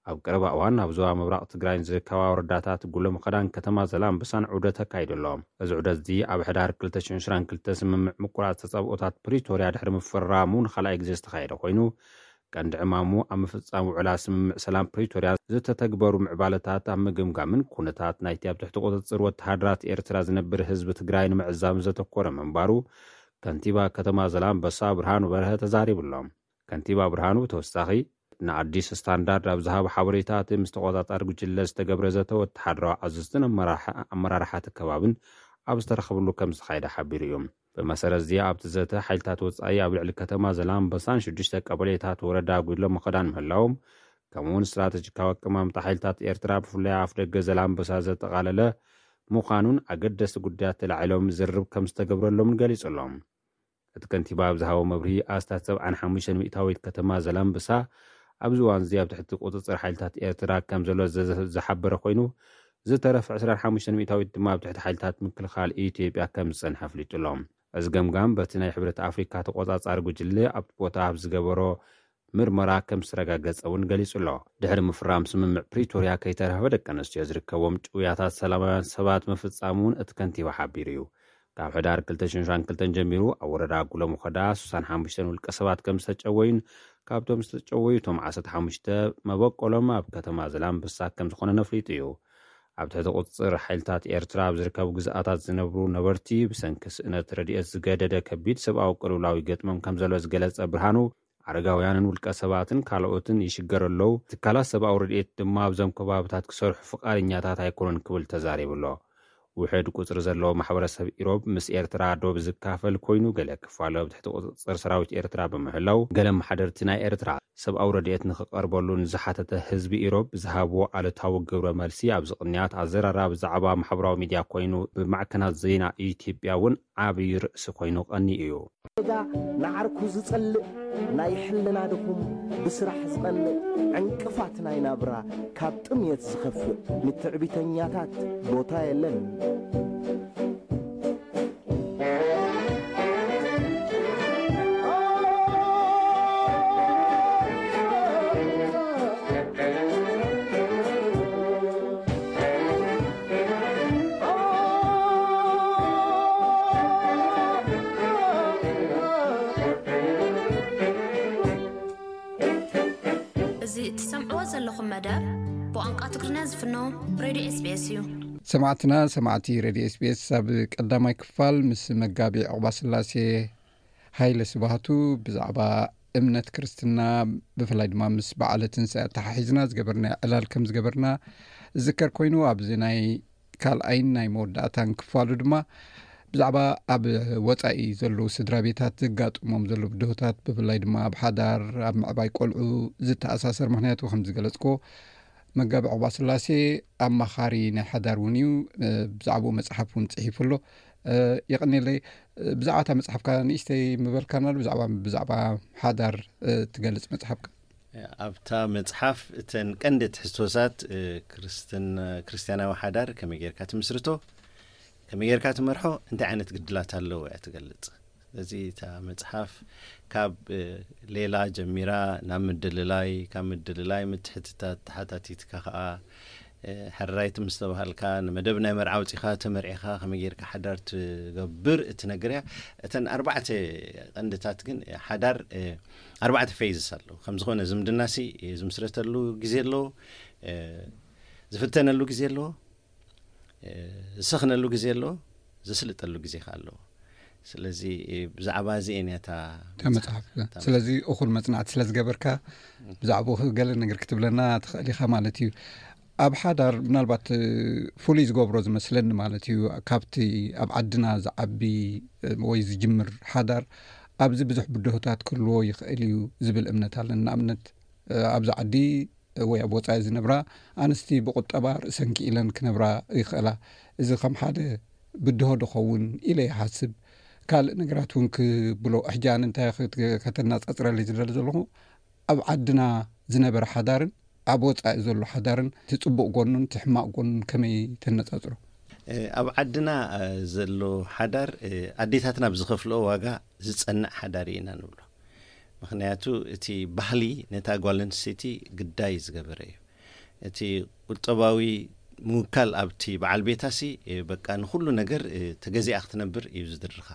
ኣብ ቀረባ እዋን ኣብ ዞባ ምብራቕ ትግራይን ዝርከባ ወረዳታት ጉሎ መኸዳን ከተማ ዘላምበሳን ዑደት ኣካይዱ ኣሎ። እዚ ዑደት እዚ ኣብ ሕዳር ክልተ ሽሕን ዕስራን ክልተን ስምምዕ ምቁራጽ ተጻብኦታት ፕሪቶርያ ድሕሪ ምፍራሙ ንኻልኣይ ግዜ ዝተኻየደ ኮይኑ፣ ቀንዲ ዕማሙ ኣብ ምፍጻም ውዕላት ስምምዕ ሰላም ፕሪቶርያ ዝተተግበሩ ምዕባለታት ኣብ ምግምጋምን ኩነታት ናይቲ ኣብ ትሕቲ ቁጽጽር ወተሃደራት ኤርትራ ዝነብር ህዝቢ ትግራይ ንምዕዛም ዘተኮረ ምንባሩ ከንቲባ ከተማ ዘላምበሳ ብርሃኑ በርሀ ተዛሪቡ ኣሎ። ከንቲባ ብርሃኑ ብተወሳኺ ንኣዲስ ስታንዳርድ ኣብ ዝሃቦ ሓበሬታ፣ እቲ ምስ ተቆጻጻሪ ጉጅለ ዝተገብረ ዘተ ወተሃደራዊ ኣዘዝትን ኣመራርሓ-፣ ኣመራርሓ እቲ ከባብን ኣብ ዝተረኸብሉ ከም ዝተኻየደ ሓቢሩ እዩ። ብመሰረት እዚ ኣብቲ ዘተ ሓይልታት ወጻኢ ኣብ ልዕሊ ከተማ ዘላምበሳን ሽዱሽተ ቀበሌታት ወረዳ ጉሎ መኸዳን ምህላዎም፣ ከምኡ እውን ስትራተጂካዊ ኣቀማምጣ ሓይልታት ኤርትራ ብፍላይ ኣፍ ደገ ዘላምበሳ ዘጠቓለለ ምዃኑን ኣገደስቲ ጉዳያት ተላዒሎም ዝርርብ ከም ዝተገብረሎምን ገሊጹ ኣሎ። እቲ ከንቲባ ኣብ ዝሃቦ መብርሂ፣ ኣስታት ሰብዓን ሓሙሽተን ሚእታዊት ከተማ ዘላምበሳ ኣብዚ እዋን እዚ ኣብ ትሕቲ ቁጽጽር ሓይልታት ኤርትራ ከም ዘሎ ዘ-፣ ዝሓበረ ኮይኑ፣ ዝተረፈ ዕስራን ሓሙሽተን ሚእታዊት ድማ ኣብ ትሕቲ ሓይልታት ምክልኻል ኢትዮጵያ ከም ዝጸንሐ ኣፍሊጡ ኣሎ። እዚ ገምጋም በቲ ናይ ሕብረት ኣፍሪካ ተቆጻጻሪ ጉጅለ ኣብቲ ቦታ ኣብ ዝገበሮ ምርመራ ከም ዝተረጋገጸ እውን ገሊጹ ኣሎ። ድሕሪ ምፍራም ስምምዕ ፕሪቶርያ ከይተረፈ ደቂ ኣንስትዮ ዝርከቦም ጭውያታት ሰላማውያን ሰባት ምፍጻሙ እውን እቲ ከንቲባ ሓቢሩ እዩ። ካብ ሕዳር ክልተ ሽሕን ዕስራን ክልተን ጀሚሩ ኣብ ወረዳ ጉሎ መኸዳ ስሳን ሓሙሽተን ውልቀ ሰባት ከም ዝተጨወዩን ካብቶም ዝተጨወዩ እቶም ዓሰርተ ሓሙሽተ መበቆሎም ኣብ ከተማ ዘላምበሳ ከም ዝኾነ ነፍሊጡ እዩ። ኣብ ትሕቲ ቁጽጽር ሓይልታት ኤርትራ ኣብ ዝርከቡ ግዝኣታት ዝነብሩ ነበርቲ ብሰንኪ ስእነት ረድኤት ዝገደደ ከቢድ ሰብኣዊ ቅልውላው ይገጥሞም ከም ዘሎ ዝገለጸ ብርሃኑ፣ ኣረጋውያንን ውልቀ ሰባትን ካልኦትን ይሽገሩ ኣለዉ። ትካላት ሰብኣዊ ረድኤት ድማ ኣብዞም ከባብታት ክሰርሑ ፍቓደኛታት ኣይኮኑን ክብል ተዛሪቡ ኣሎ። ውሕድ ቁጽሪ ዘለዎ ማሕበረሰብ ኢሮብ ምስ ኤርትራ ዶብ ዝካፈል ኮይኑ፣ ገለ ክፋሉ ኣብ ትሕቲ ቁጽጽር ሰራዊት ኤርትራ ብምህላው፣ ገለ ኣመሓደርቲ ናይ ኤርትራ ሰብኣዊ ረድኤት ንኽቐርበሉ ንዝሓተተ ህዝቢ ኢሮብ ብዝሃብዎ ኣሉታዊ ግብረ መልሲ፣ ኣብዚ ቅንያት ኣዘራራቢ ዛዕባ ማሕበራዊ ሚድያ ኮይኑ፣ ብማዕከናት ዜና ኢትዮጵያ እውን ዓብዪ ርእሲ ኮይኑ ቀንዩ እዩ። ጌጋ ንዓርኩ ዝጸልእ፣ ናይ ሕልና ድኹም፣ ብስራሕ ዝቐንእ፣ ዕንቅፋት ናይ ናብራ፣ ካብ ጥምየት ዝኸፍእ፣ ንትዕቢተኛታት ቦታ የለን። እዚ እትሰምዕዎ ዘለኹም መደብ ብቋንቋ ትግርኛ ዝፍኖ ሬድዮ ኤስቢኤስ እዩ። ሰማዕትና፣ ሰማዕቲ ሬድዮ ኤስቢኤስ፣ ኣብ ቀዳማይ ክፋል ምስ መጋቢ ዕቑባ ስላሴ ሃይለ ስብሃቱ ብዛዕባ እምነት ክርስትና፣ ብፍላይ ድማ ምስ በዓለ ትንሳኤ ኣተሓሒዝና ዝገበርናዮ ዕላል ከም ዝገበርና ዝዝከር ኮይኑ፣ ኣብዚ ናይ ካልኣይን ናይ መወዳእታን ክፋሉ ድማ ብዛዕባ ኣብ ወጻኢ ዘለዉ ስድራ ቤታት ዘጋጥሞም ዘለዉ ብድሆታት፣ ብፍላይ ድማ ኣብ ሓዳር፣ ኣብ ምዕባይ ቆልዑ ዝተኣሳሰር፣ ምኽንያቱ ከም ዝገለጽክዎ፣ መጋቢ ዕቑባ ስላሴ ኣማኻሪ ናይ ሓዳር እውን እዩ። እ፣ ብዛዕባኡ መጽሓፍ እውን ጽሒፉ ኣሎ። እ፣ የቐንየለይ። እ፣ ብዛዕባ እታ መጽሓፍካ ንእሽተይ ምበልካና ዶ? ብዛዕባ፣ ብዛዕባ ሓዳር፣ እ፣ ትገልጽ መጽሓፍካ? ኣብታ መጽሓፍ እተን ቀንዲ ትሕዝቶታት፣ እ፣ ክርስትን-፣ ክርስትያናዊ ሓዳር ከመይ ጌርካ ትምስርቶ፣ ከመይ ጌርካ ትመርሖ፣ እንታይ ዓይነት ግድላት ኣለዎ እያ ትገልጽ። ስለዚ እታ መጽሓፍ ካብ፣ እ፣ ሌላ ጀሚራ ናብ ምድልላይ፣ ካብ ምድልላይ ምትሕትታት ተሓታቲትካ ከኣ ሕራይቲ ምስ ተባሃልካ፣ ንመደብ ናይ መርዓ ኣውጺኻ ተመርዒኻ ከመይ ጌርካ ሓዳር ትገብር እትነግር እያ። እተን ኣርባዕተ ቀንድታት ግን፣ ሓዳር ኣርባዕተ ፌዝስ ኣለዉ። ከም ዝኾነ ዝምድናሲ ዝምስረተሉ ግዜ ኣለዎ፣ ዝፍተነሉ ግዜ ኣለዎ፣ ዝሰኽነሉ ግዜ ኣለዎ፣ ዘስልጠሉ ግዜ ከ ኣለዎ። ስለዚ ብዛዕባ እዚ እየን እታ መጽሓፍ። ስለዚ እኹል መጽናዕቲ ስለ ዝገበርካ ብዛዕባኡ ገለ ነገር ክትብለና ትኽእል ኢኻ ማለት እዩ። ኣብ ሓዳር ምናልባት ፍሉይ ዝገብሮ ዝመስለኒ ማለት እዩ፣ ካብቲ ኣብ ዓድና ዝዓቢ ወይ ዝጅምር ሓዳር ኣብዚ ብዙሕ ብድሆታት ክህልዎ ይኽእል እዩ ዝብል እምነት ኣለኒ። ንኣብነት ኣብዚ ዓዲ ወይ ኣብ ወጻኢ ዝነብራ ኣንስቲ ብቁጠባ ርእሰን ክኢለን ክነብራ ይኽእላ። እዚ ከም ሓደ ብድሆ ዶ ኸውን ኢለ ይሓስብ። ካልእ ነገራት እውን ክብሎ ሕጂ ኣነ እንታይ ከተናጻጽረለይ ዝደሊ ዘለኹ፣ ኣብ ዓድና ዝነበረ ሓዳርን ኣብ ወጻኢ ዘሎ ሓዳርን እቲ ጽቡቕ ጎኑን እቲ ሕማቕ ጎኑን ከመይ ተነጻጽሮ? ኣብ ዓድና ዘሎ ሓዳር ኣዴታትና ብዝኸፍልኦ ዋጋ ዝጸንዕ ሓዳር ኢና ንብሎ። ምኽንያቱ እቲ ባህሊ ነታ ጓል ኣንስተይቲ ግዳይ ዝገበረ እዩ። እቲ ቁጠባዊ ምውካል ኣብቲ በዓል ቤታሲ በቃ ንኹሉ ነገር ተገዚኣ ክትነብር እዩ ዝድርኻ።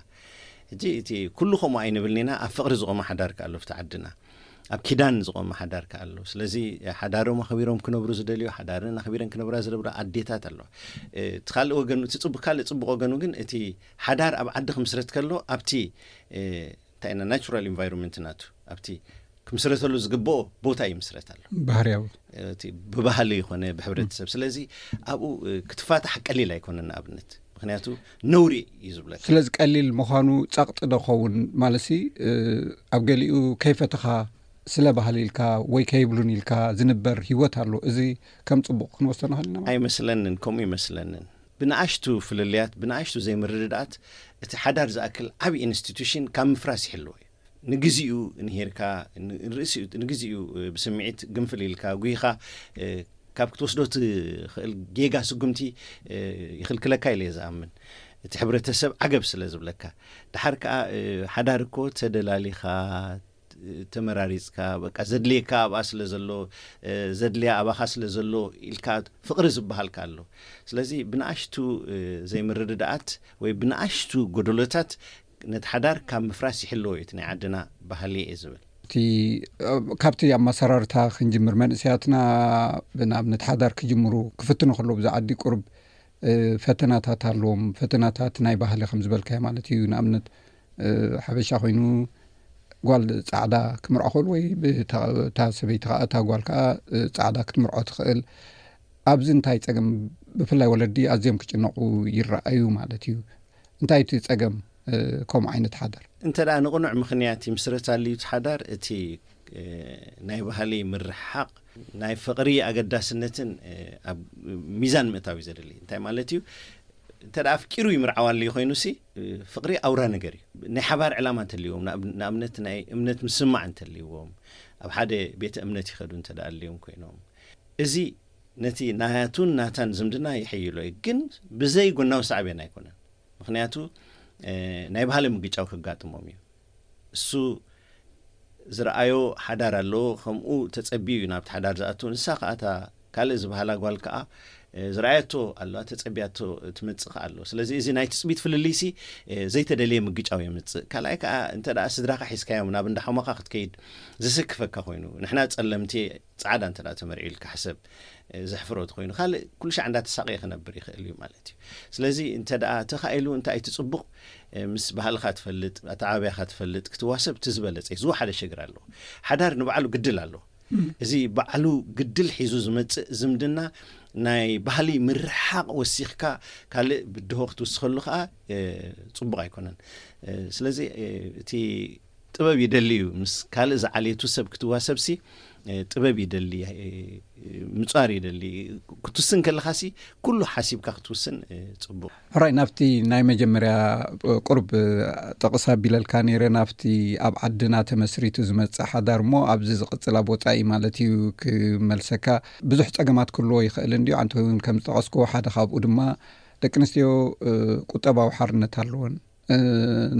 ሕጂ እቲ ኩሉ ከምኡ ኣይንብልን ኢና። ኣብ ፍቕሪ ዝቆመ ሓዳር ከ ኣሎ ኣብቲ ዓድና፣ ኣብ ኪዳን ዝቆመ ሓዳር ከ ኣሎ። ስለዚ ሓዳሮም ኣኽቢሮም ክነብሩ ዝደልዩ፣ ሓዳርን ኣኽቢረን ክነብራ ዝደብራ ኣዴታት ኣለዋ። እቲ ካልእ ወገኑ፣ እቲ ጽቡቕ፣ ካልእ ጽቡቕ ወገኑ ግን እቲ ሓዳር ኣብ ዓዲ ክምስረት ከሎ ኣብቲ እንታይ ኢና ናቹራል ኢንቫይሮንመንት ናቱ ኣብቲ ክምስረተሉ ዝግብኦ ቦታ ይምስረት ኣሎ። ባህርያዊ ብባህሊ ይኮነ ብሕብረተሰብ። ስለዚ ኣብኡ ክትፋታሕ ቀሊል ኣይኮነን። ንኣብነት ምክንያቱ ነውሪ እዩ ዝብለካ። ስለዚ ቀሊል ምዃኑ ጸቕጢ ዶ ኸውን? ማለትሲ ኣብ ገሊኡ ከይፈተኻ ስለ ባህሊ ኢልካ ወይ ከይብሉን ኢልካ ዝንበር ህይወት ኣሎ። እዚ ከም ጽቡቕ ክንወስዶ ንኽእል ኢና ማለት? ኣይመስለንን፣ ከምኡ ይመስለንን። ብንኣሽቱ ፍልልያት፣ ብንኣሽቱ ዘይምርድዳኣት እቲ ሓዳር ዝኣክል ዓቢ ኢንስቲቱሽን ካብ ምፍራስ ይሕልዎ እዩ። ንግዚኡ ንሄርካ ንርእሲኡ ንግዚኡ ብስምዒት ግንፍል ኢልካ ጉይኻ ካብ ክትወስዶ ትኽእል ጌጋ ስጉምቲ ይኽልክለካ ኢለ እየ ዝኣምን። እቲ ሕብረተሰብ ዓገብ ስለ ዝብለካ። ድሓር ከኣ ሓዳር እኮ ተደላሊኻ ተመራሪጽካ በቃ ዘድልየካ ኣብኣ ስለ ዘሎ ዘድልያ ኣባኻ ስለ ዘሎ ኢልካ ፍቕሪ ዝበሃልካ ኣሎ። ስለዚ ብንኣሽቱ ዘይምርድዳኣት ወይ ብንኣሽቱ ጎደሎታት ነቲ ሓዳር ካብ ምፍራስ ይሕልዎ እዩ እቲ ናይ ዓድና ባህሊ እየ ዝብል። እቲ ካብቲ ኣመሰራርታ ክንጅምር፣ መንእሰያትና ብንኣብነት ሓዳር ክጅምሩ ክፍትኑ ከለዉ ብዛ ዓዲ ቁሩብ ፈተናታት ኣለዎም። ፈተናታት ናይ ባህሊ ከም ዝበልካዮ ማለት እዩ። ንኣብነት ሓበሻ ኮይኑ ጓል ጻዕዳ ክምርዖ ክእል ወይ እታ ሰበይቲ ከዓ እታ ጓል ከዓ ጻዕዳ ክትምርዖ ትኽእል። ኣብዚ እንታይ ጸገም? ብፍላይ ወለዲ ኣዝዮም ክጭነቑ ይረኣዩ ማለት እዩ። እንታይ እቲ ጸገም ከምኡ ዓይነት ሓዳር? እንተ ደኣ ንቕኑዕ ምኽንያት ይምስረት ኣልዩ እቲ ሓዳር፣ እቲ ናይ ባህሊ ምርሕሓቕ ናይ ፍቕሪ ኣገዳስነትን ኣብ ሚዛን ምእታው እዩ ዘድሊ። እንታይ ማለት እዩ? እንተ ደኣ ኣፍቂሩ ይምርዓው ኣልዩ ኮይኑ ሲ ፍቕሪ ኣውራ ነገር እዩ። ናይ ሓባር ዕላማ እንተልዎም፣ ንኣብነት ናይ እምነት ምስማዕ እንተልዎም፣ ኣብ ሓደ ቤተ እምነት ይኸዱ እንተ ደኣ ኣልዮም ኮይኖም፣ እዚ ነቲ ናቱን ናታን ዝምድና ይሕይሎ እዩ። ግን ብዘይ ጎናዊ ሳዕቤን ኣይኮነን። ምኽንያቱ ናይ ባህሊ ምግጫው ከጋጥሞም እዩ። እሱ ዝረኣዮ ሓዳር ኣለዎ፣ ከምኡ ተጸቢዩ እዩ ናብቲ ሓዳር ዝኣቱ። ንሳ ከኣ እታ ካልእ ዝበሃላ ጓል ከኣ ዝረኣየቶ ኣለዋ፣ ተጸቢያቶ ትመጽእ ከኣ ኣሎ። ስለዚ እዚ ናይ ትጽቢት ፍልልይሲ ዘይተደልየ ምግጫው የምጽእ። ካልኣይ ከኣ እንተ ደኣ ስድራኻ ሒዝካዮም ናብ እንዳ ሓሞኻ ክትከይድ ዘሰክፈካ ኮይኑ፣ ንሕና ጸለምቲ ጻዕዳ እንተ ደኣ ተመርዒ ኢልካ ሕሰብ፣ ዘሕፍሮ ተኮይኑ ካልእ ኩሉ ሻዕ እንዳተሳቀየ ክነብር ይኽእል እዩ ማለት እዩ። ስለዚ እንተ ደኣ ተኻኢሉ እንታይ እቲ ጽቡቕ ምስ ባህልኻ ትፈልጥ፣ ኣተዓባብያኻ ትፈልጥ ክትዋሰብ እቲ ዝበለጸ እዩ። ዝወሓደ ሽግር ኣለዎ። ሓዳር ንባዕሉ ግድል ኣለዎ። እዚ ባዕሉ ግድል ሒዙ ዝመጽእ ዝምድና ናይ ባህሊ ምርሓቕ ወሲኽካ ካልእ ብድሆ ክትውስኸሉ ከኣ ጽቡቕ ኣይኮነን። ስለዚ እቲ ጥበብ ይደሊ እዩ። ምስ ካልእ ዝዓለየቱ ሰብ ክትዋሰብሲ ጥበብ ይደሊ፣ ምጻር ይደሊ። ክትውስን ከለኻሲ ኩሉ ሓሲብካ ክትውስን ጽቡቕ። ሕራይ፣ ናብቲ ናይ መጀመርያ ቁርብ ጥቕስ ኣቢለልካ ነይረ፣ ናብቲ ኣብ ዓድና ተመስሪቱ ዝመጽእ ሓዳር እሞ ኣብዚ ዝቕጽል ኣብ ወጻኢ ማለት እዩ ክመልሰካ። ብዙሕ ጸገማት ክህልዎ ይኽእል እንድዩ። ኣንተ እውን ከም ዝጠቐስክዎ ሓደ ካብኡ ድማ ደቂ ኣንስትዮ ቁጠባዊ ሓርነት ኣለወን።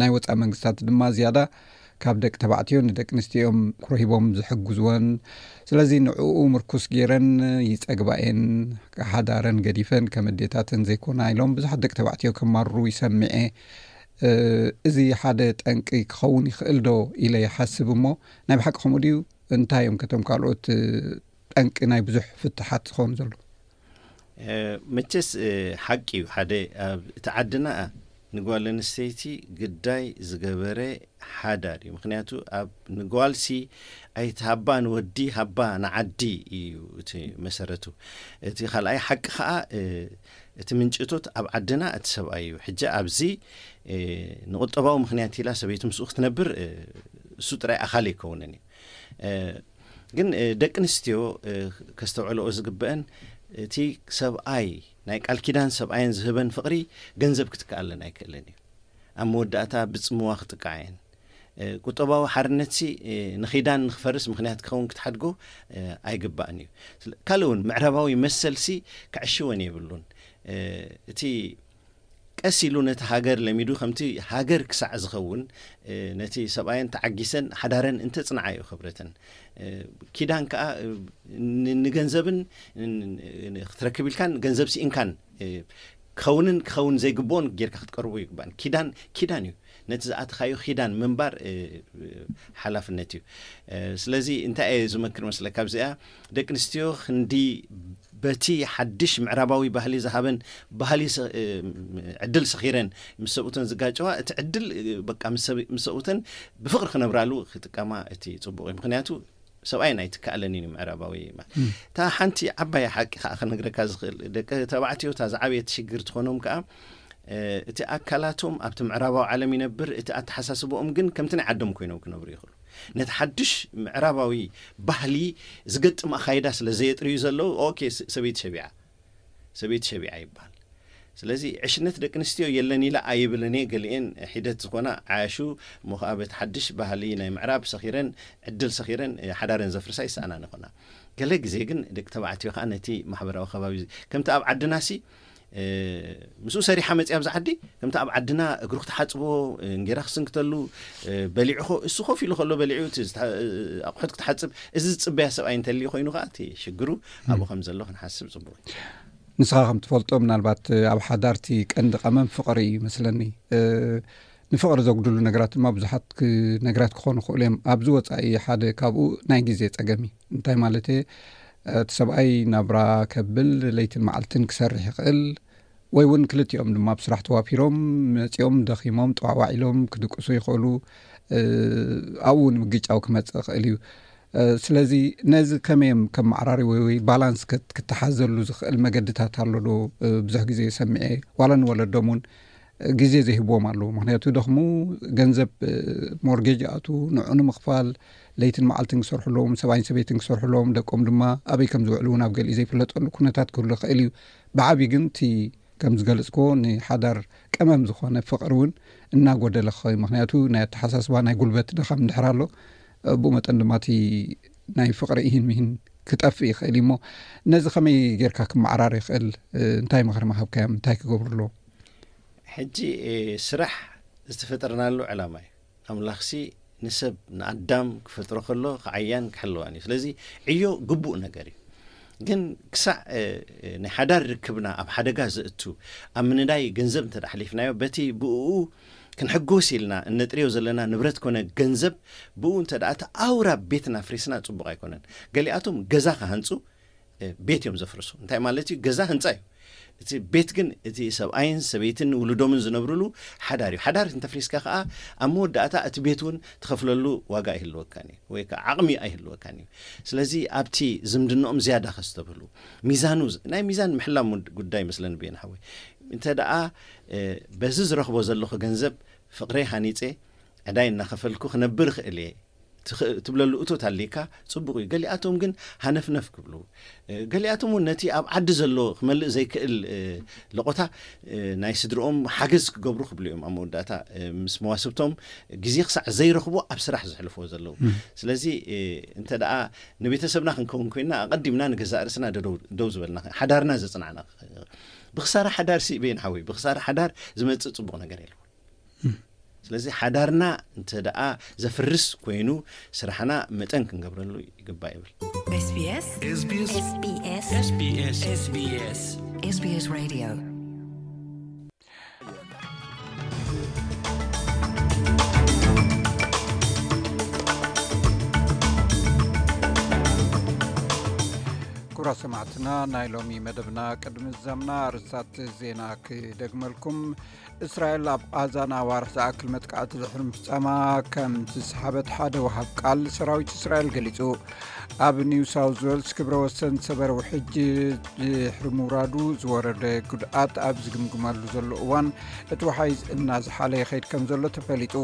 ናይ ወጻኢ መንግስታት ድማ ዝያዳ ካብ ደቂ ተባዕትዮ ንደቂ ኣንስትዮ እዮም ክረሂቦም ዝሕግዝወን። ስለዚ ንዕኡ ምርኩስ ገይረን ይጸግባ እየን። ሓዳረን ገዲፈን ከም ኣዴታተን ዘይኮና ኢሎም ብዙሓት ደቂ ተባዕትዮ ከማርሩ ይሰምዐ። እ፣ እዚ ሓደ ጠንቂ ክኸውን ይኽእል ዶ ኢለ ይሓስብ እሞ፣ ናይ ብሓቂ ከምኡ ድዩ? እንታይ እዮም ከቶም ካልኦት፣ እ፣ ጠንቂ ናይ ብዙሕ ፍትሓት ዝኾኑ ዘለዉ? እ፣ መቸስ፣ እ፣ ሓቂ እዩ። ሓደ ኣብ እቲ ዓድና ንጓል ኣንስተይቲ ግዳይ ዝገበረ ሓዳር እዩ። ምኽንያቱ ኣብ ንጓልሲ ኣይትሃባ ንወዲ፣ ሃባ ንዓዲ እዩ እቲ መሰረቱ። እቲ ካልኣይ ሓቂ ኸኣ፣ እ፣ እቲ ምንጭቶት ኣብ ዓድና እቲ ሰብኣይ እዩ። ሕጂ ኣብዚ፣ እ፣ ንቁጠባዊ ምኽንያት ኢላ ሰበይቲ ምስኡ ክትነብር፣ እ፣ እሱ ጥራይ ኣኻሊ ኣይከውንን እዩ። እ፣ ግን፣ እ፣ ደቂ ኣንስትዮ፣ እ፣ ከስተውዕልኦ ዝግበአን፣ እቲ ሰብኣይ ናይ ቃል ኪዳን ሰብኣየን ዝህበን ፍቕሪ ገንዘብ ክትከኣለን ኣይክእልን እዩ። ኣብ መወዳእታ ብጽምዋ ክጥቃዓየን። እ፣ ቁጠባዊ ሓርነትሲ፣ እ፣ ንኺዳን ንኽፈርስ ምኽንያት ክኸውን ክትሓድጎ፣ እ፣ ኣይግባእን እዩ። ስለ-፣ ካልእ እውን ምዕራባዊ መሰልሲ ክዕሽወን የብሉን። እ፣ እቲ ቀስ ኢሉ ነቲ ሃገር ለሚዱ ከምቲ ሃገር ክሳዕ ዝኸውን፣ እ፣ ነቲ ሰብኣየን ተዓጊሰን ሓዳረን እንተጽንዓዮ ክብረተን። እ፣ ኪዳን ከኣ፣ እ፣ ን-፣ ንገንዘብን ን-፣ ን-፣ ክትረክብ ኢልካን ገንዘብ ስኢንካን፣ እ፣ ክኸውንን ክኸውን ዘይግብኦን ጌርካ ክትቀርቦ ይግባእን። ኪዳን፣ ኪዳን እዩ። ነቲ ዝኣተኻዮ ኪዳን ምንባር፣ እ፣ ሓላፍነት እዩ። እ፣ ስለዚ እንታይ እየ ዝመክር መስለካ ኣብዚኣ? ደቂ ኣንስትዮ ክንዲ በቲ ሓድሽ ምዕራባዊ ባህሊ ዝሃበን ባህሊ ሰ-፣ እ፣ ዕድል ሰኺረን ምስ ሰብኡተን ዝጋጨዋ፣ እቲ ዕድል፣ እ፣ በቃ ምስ ሰብ-፣ ምስ ሰብኡተን ብፍቕሪ ክነብራሉ ክጥቀማ እቲ ጽቡቕ እዩ። ምኽንያቱ ሰብኣይን ኣይትከኣለንን እዩ ምዕራባዊ ማለት። እም። እታ ሓንቲ ዓባይ ሓቂ ከኣ ክነግረካ ዝኽእል፣ ደቂ ተባዕትዮ እታ ዝዓበየት ሽግር ትኾኖም ከኣ፣ እ፣ እቲ ኣካላቶም ኣብቲ ምዕራባዊ ዓለም ይነብር፣ እቲ ኣተሓሳስባኦም ግን ከምቲ ናይ ዓዶም ኮይኖም ክነብሩ ይኽእሉ። ነቲ ሓድሽ ምዕራባዊ ባህሊ ዝገጥም ኣኻይዳ ስለ ዘየጥርዩ ዘለዉ፣ ኦኬ፣ ስ-፣ ሰበይቲ ሸቢዓ፣ ሰበይቲ ሸቢዓ ይበሃል። ስለዚ ዕሽነት ደቂ ኣንስትዮ የለን ኢለ ኣይብልን እየ። ገሊኤን ሒደት ዝኾና ዓያሹ እሞ ኸዓ በቲ ሓድሽ ባህሊ ናይ ምዕራብ ሰኺረን፣ ዕድል ሰኺረን፣ እ፣ ሓዳረን ዘፍርሳ ይሰኣናን ይኾና። ገለ ግዜ ግን ደቂ ተባዕትዮ ኸዓ ነቲ ማሕበራዊ ከባቢ፣ ከምቲ ኣብ ዓድናሲ፣ እ፣ ምስኡ ሰሪሓ መጺኣ ኣብዚ ዓዲ፣ ከምቲ ኣብ ዓድና እግሩ ክትሓጽቦ፣ እ፣ እንጌራ ክስንክተሉ፣ እ፣ በሊዑ ኸ-፣ እሱ ኮፍ ኢሉ ከሎ በሊዑ እቲ ዝተ-፣ እ፣ ኣቑሑት ክትሓጽብ፣ እዚ ዝጽበያ ሰብኣይ እንተልዩ ኮይኑ ኸዓ እቲ ሽግሩ ኣብኡ ከም ዘሎ ክንሓስብ ጽቡቕ እዩ። ንስኻ ከም ትፈልጦ፣ ምናልባት ኣብ ሓዳር እቲ ቀንዲ ቀመም ፍቕሪ እዩ ይመስለኒ። እ፣ ንፍቕሪ ዘጉድሉ ነገራት ድማ ብዙሓት ክ-፣ ነገራት ክኾኑ ይኽእሉ እዮም። ኣብዚ ወጻኢ ሓደ ካብኡ ናይ ግዜ ጸገም እዩ። እንታይ ማለት እየ? እቲ ሰብኣይ ናብራ ከብል ለይትን መዓልትን ክሰርሕ ይኽእል፣ ወይ እውን ክልቲኦም ድማ ብስራሕ ተዋፊሮም መጺኦም ደኺሞም ጠዋዋዕ ኢሎም ክድቅሱ ይኽእሉ። እ፣ ኣብኡ እውን ምግጫው ክመጽእ ይኽእል እዩ። እ፣ ስለዚ ነዚ ከመይ እዮም ከመዓራርይዎ ወይ ባላንስ ክት-፣ ክተሓዘሉ ዝኽእል መገድታት ኣሎ ዶ? እ፣ ብዙሕ ግዜ ሰሚዐ፣ ዋላ ንወለዶም እውን፣ እ፣ ግዜ ዘይህብዎም ኣለዉ። ምኽንያቱ ደኽሙ፣ ገንዘብ፣ እ፣ ሞርጌጅ ይኣትዉ፣ ንዑ ንምኽፋል ለይትን መዓልትን ክሰርሑ ኣለዎም፣ ሰብኣይን ሰበይትን ክሰርሑ ኣለዎም፣ ደቆም ድማ ኣበይ ከም ዝውዕሉ እውን ኣብ ገሊኡ ዘይፍለጠሉ ኩነታት ክህሉ ይኽእል እዩ። ብዓቢ ግን እቲ ከም ዝገለጽክዎ ንሓዳር ቀመም ዝኾነ ፍቕሪ እውን እናጎደለ ክኸውን፣ ምኽንያቱ ናይ ኣተሓሳስባ ናይ ጉልበት ድኻም እንድሕር ኣሎ፣ ብኡ መጠን ድማ እቲ ናይ ፍቕሪ ኢሂን ሚሂን ክጠፍእ ይኽእል እዩ። እሞ ነዚ ከመይ ጌርካ ክመዓራር ይኽእል? እንታይ ምኽሪ ምሃብካዮም? እንታይ ክገብሩ ኣለዎም? ሕጂ፣ እ፣ ስራሕ ዝተፈጠርናሉ ዕላማ እዩ። ኣምላኽሲ ንሰብ ንኣዳም ክፈጥሮ ከሎ ክዓያን ክሕልዋን እዩ። ስለዚ ዕዮ ግቡእ ነገር እዩ። ግን ክሳዕ፣ እ፣ እ፣ ናይ ሓዳር ርክብና ኣብ ሓደጋ ዘእቱ ኣብ ምንዳይ ገንዘብ እንተ ደኣ ሓሊፍናዮ፣ በቲ ብእኡ ክንሕጎስ ኢልና እነጥርዮ ዘለና ንብረት ኮነ ገንዘብ ብኡ እንተ ደኣ እቲ ኣውራ ቤትና ኣፍሪስና ጽቡቕ ኣይኮነን። ገሊኣቶም ገዛ ክሃንጹ፣ እ፣ ቤት እዮም ዘፍርሱ። እንታይ ማለት እዩ? ገዛ ህንጻ እዩ። እቲ ቤት ግን እቲ ሰብኣይን ሰበይትን ውሉዶምን ዝነብርሉ ሓዳር እዩ። ሓዳር እንተፍሪስካ ከኣ ኣብ መወዳእታ እቲ ቤት እውን ትኸፍለሉ ዋጋ ኣይህልወካን እዩ፣ ወይ ከኣ ዓቕሚ ኣይህልወካን እዩ። ስለዚ ኣብቲ ዝምድናኦም ዝያዳ ከስተብህሉ፣ ሚዛኑ ዝ-፣ ናይ ሚዛን ምሕላም ውድ-፣ ጉዳይ መስለኒ ብየን ሓወይ። እንተ ደኣ፣ እ፣ በዚ ዝረኽቦ ዘለኹ ገንዘብ ፍቕረይ ሃኒጸ፣ ዕዳይ እናኸፈልኩ ክነብር እኽእል እየ ትኽ-፣ ትብለሉ እቶት ኣሊካ ጽቡቕ እዩ። ገሊኣቶም ግን ሃነፍነፍ ክብሉ፣ እ፣ ገሊኣቶም እውን ነቲ ኣብ ዓዲ ዘሎ ክመልእ ዘይክእል፣ እ፣ ለቖታ፣ እ፣ ናይ ስድርኦም ሓገዝ ክገብሩ ክብሉ እዮም ኣብ መወዳእታ፣ እ፣ ምስ መዋስብቶም ግዜ ክሳዕ ዘይረኽቡ ኣብ ስራሕ ዘሕልፍዎ ዘለዉ። እም። ስለዚ፣ እ፣ እንተ ደኣ ንቤተሰብና ክንከውን ኮይንና ኣቐዲምና ንገዛእ ርእስና ደደው-፣ ደው ዝበልና፣ ሓዳርና ዘጽናዕና፣ ብኽሳራ ሓዳር ሲ በየን ሓወይ፣ ብኽሳራ ሓዳር ዝመጽእ ጽቡቕ ነገር የለዎን። እም። ስለዚ ሓዳርና እንተ ደኣ ዘፍርስ ኮይኑ፣ ስራሕና መጠን ክንገብረሉ ይግባእ ይብል። SBS SBS SBS SBS SBS SBS Radio። ክቡራት ሰማዕትና፣ ናይ ሎሚ መደብና ቅድሚ ዝዛምና ኣርእስታት ዜና ክደግመልኩም። እስራኤል ኣብ ቓዛ ንኣዋርሕ ዝኣክል መጥቃዕቲ ድሕሪ ምፍጻማ ከም ዝሰሓበት ሓደ ወሃብ ቃል ሰራዊት እስራኤል ገሊጹ። ኣብ ኒው ሳውዝ ዌልስ ክብረ ወሰን ዝሰበረ ውሕጅ ድሕሪ ምውራዱ ዝወረደ ጉድኣት ኣብ ዝግምግመሉ ዘሎ እዋን፣ እቲ ወሓይዝ እናዝሓለ ይኸይድ ከም ዘሎ ተፈሊጡ።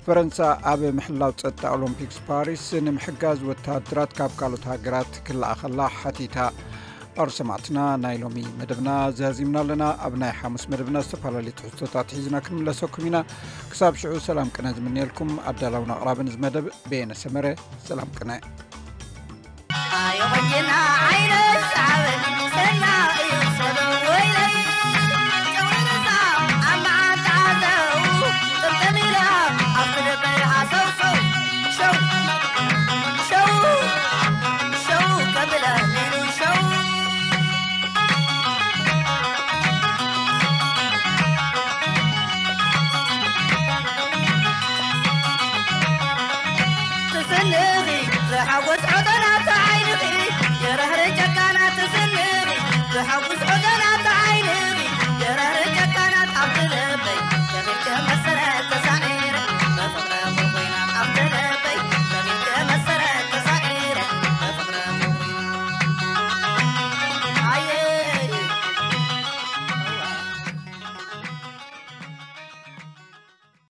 ፈረንሳ ኣብ ምሕላው ጸጥታ ኦሎምፒክስ ፓሪስ ንምሕጋዝ ወተሃደራት ካብ ካልኦት ሃገራት ክለኣኸላ ሓቲታ። ኣሩ ሰማዕትና፣ ናይ ሎሚ መደብና ዛዚምና ኣለና። ኣብ ናይ ሓሙስ መደብና ዝተፈላለዩ ትሕዝቶታት ሒዝና ክንምለሰኩም ኢና። ክሳብ ሽዑ ሰላም ቅነ ዝምንየልኩም ኣዳላውን ኣቕራብን እዚ መደብ በየነ ሰመረ። ሰላም ቅነ። ኣዮ ቆንጅና ዓይነ ሰዓበኒ፣ ሰና እዩ ሰበብ ወይለይ። ጨውንሳ ኣብ መዓንጣ ዘው፣ ጥምጥም ኢላ ኣብ ክልበይ ሃሰውሰው። ሸው፣ ሸው፣ ሸው ከብለኒ ሸው። ትስንኺ ዝሓጎስ ዖደና ተዓይንኺ፣ የረህረ ጨካና ትስንኺ ዝሓጎስ ዖደና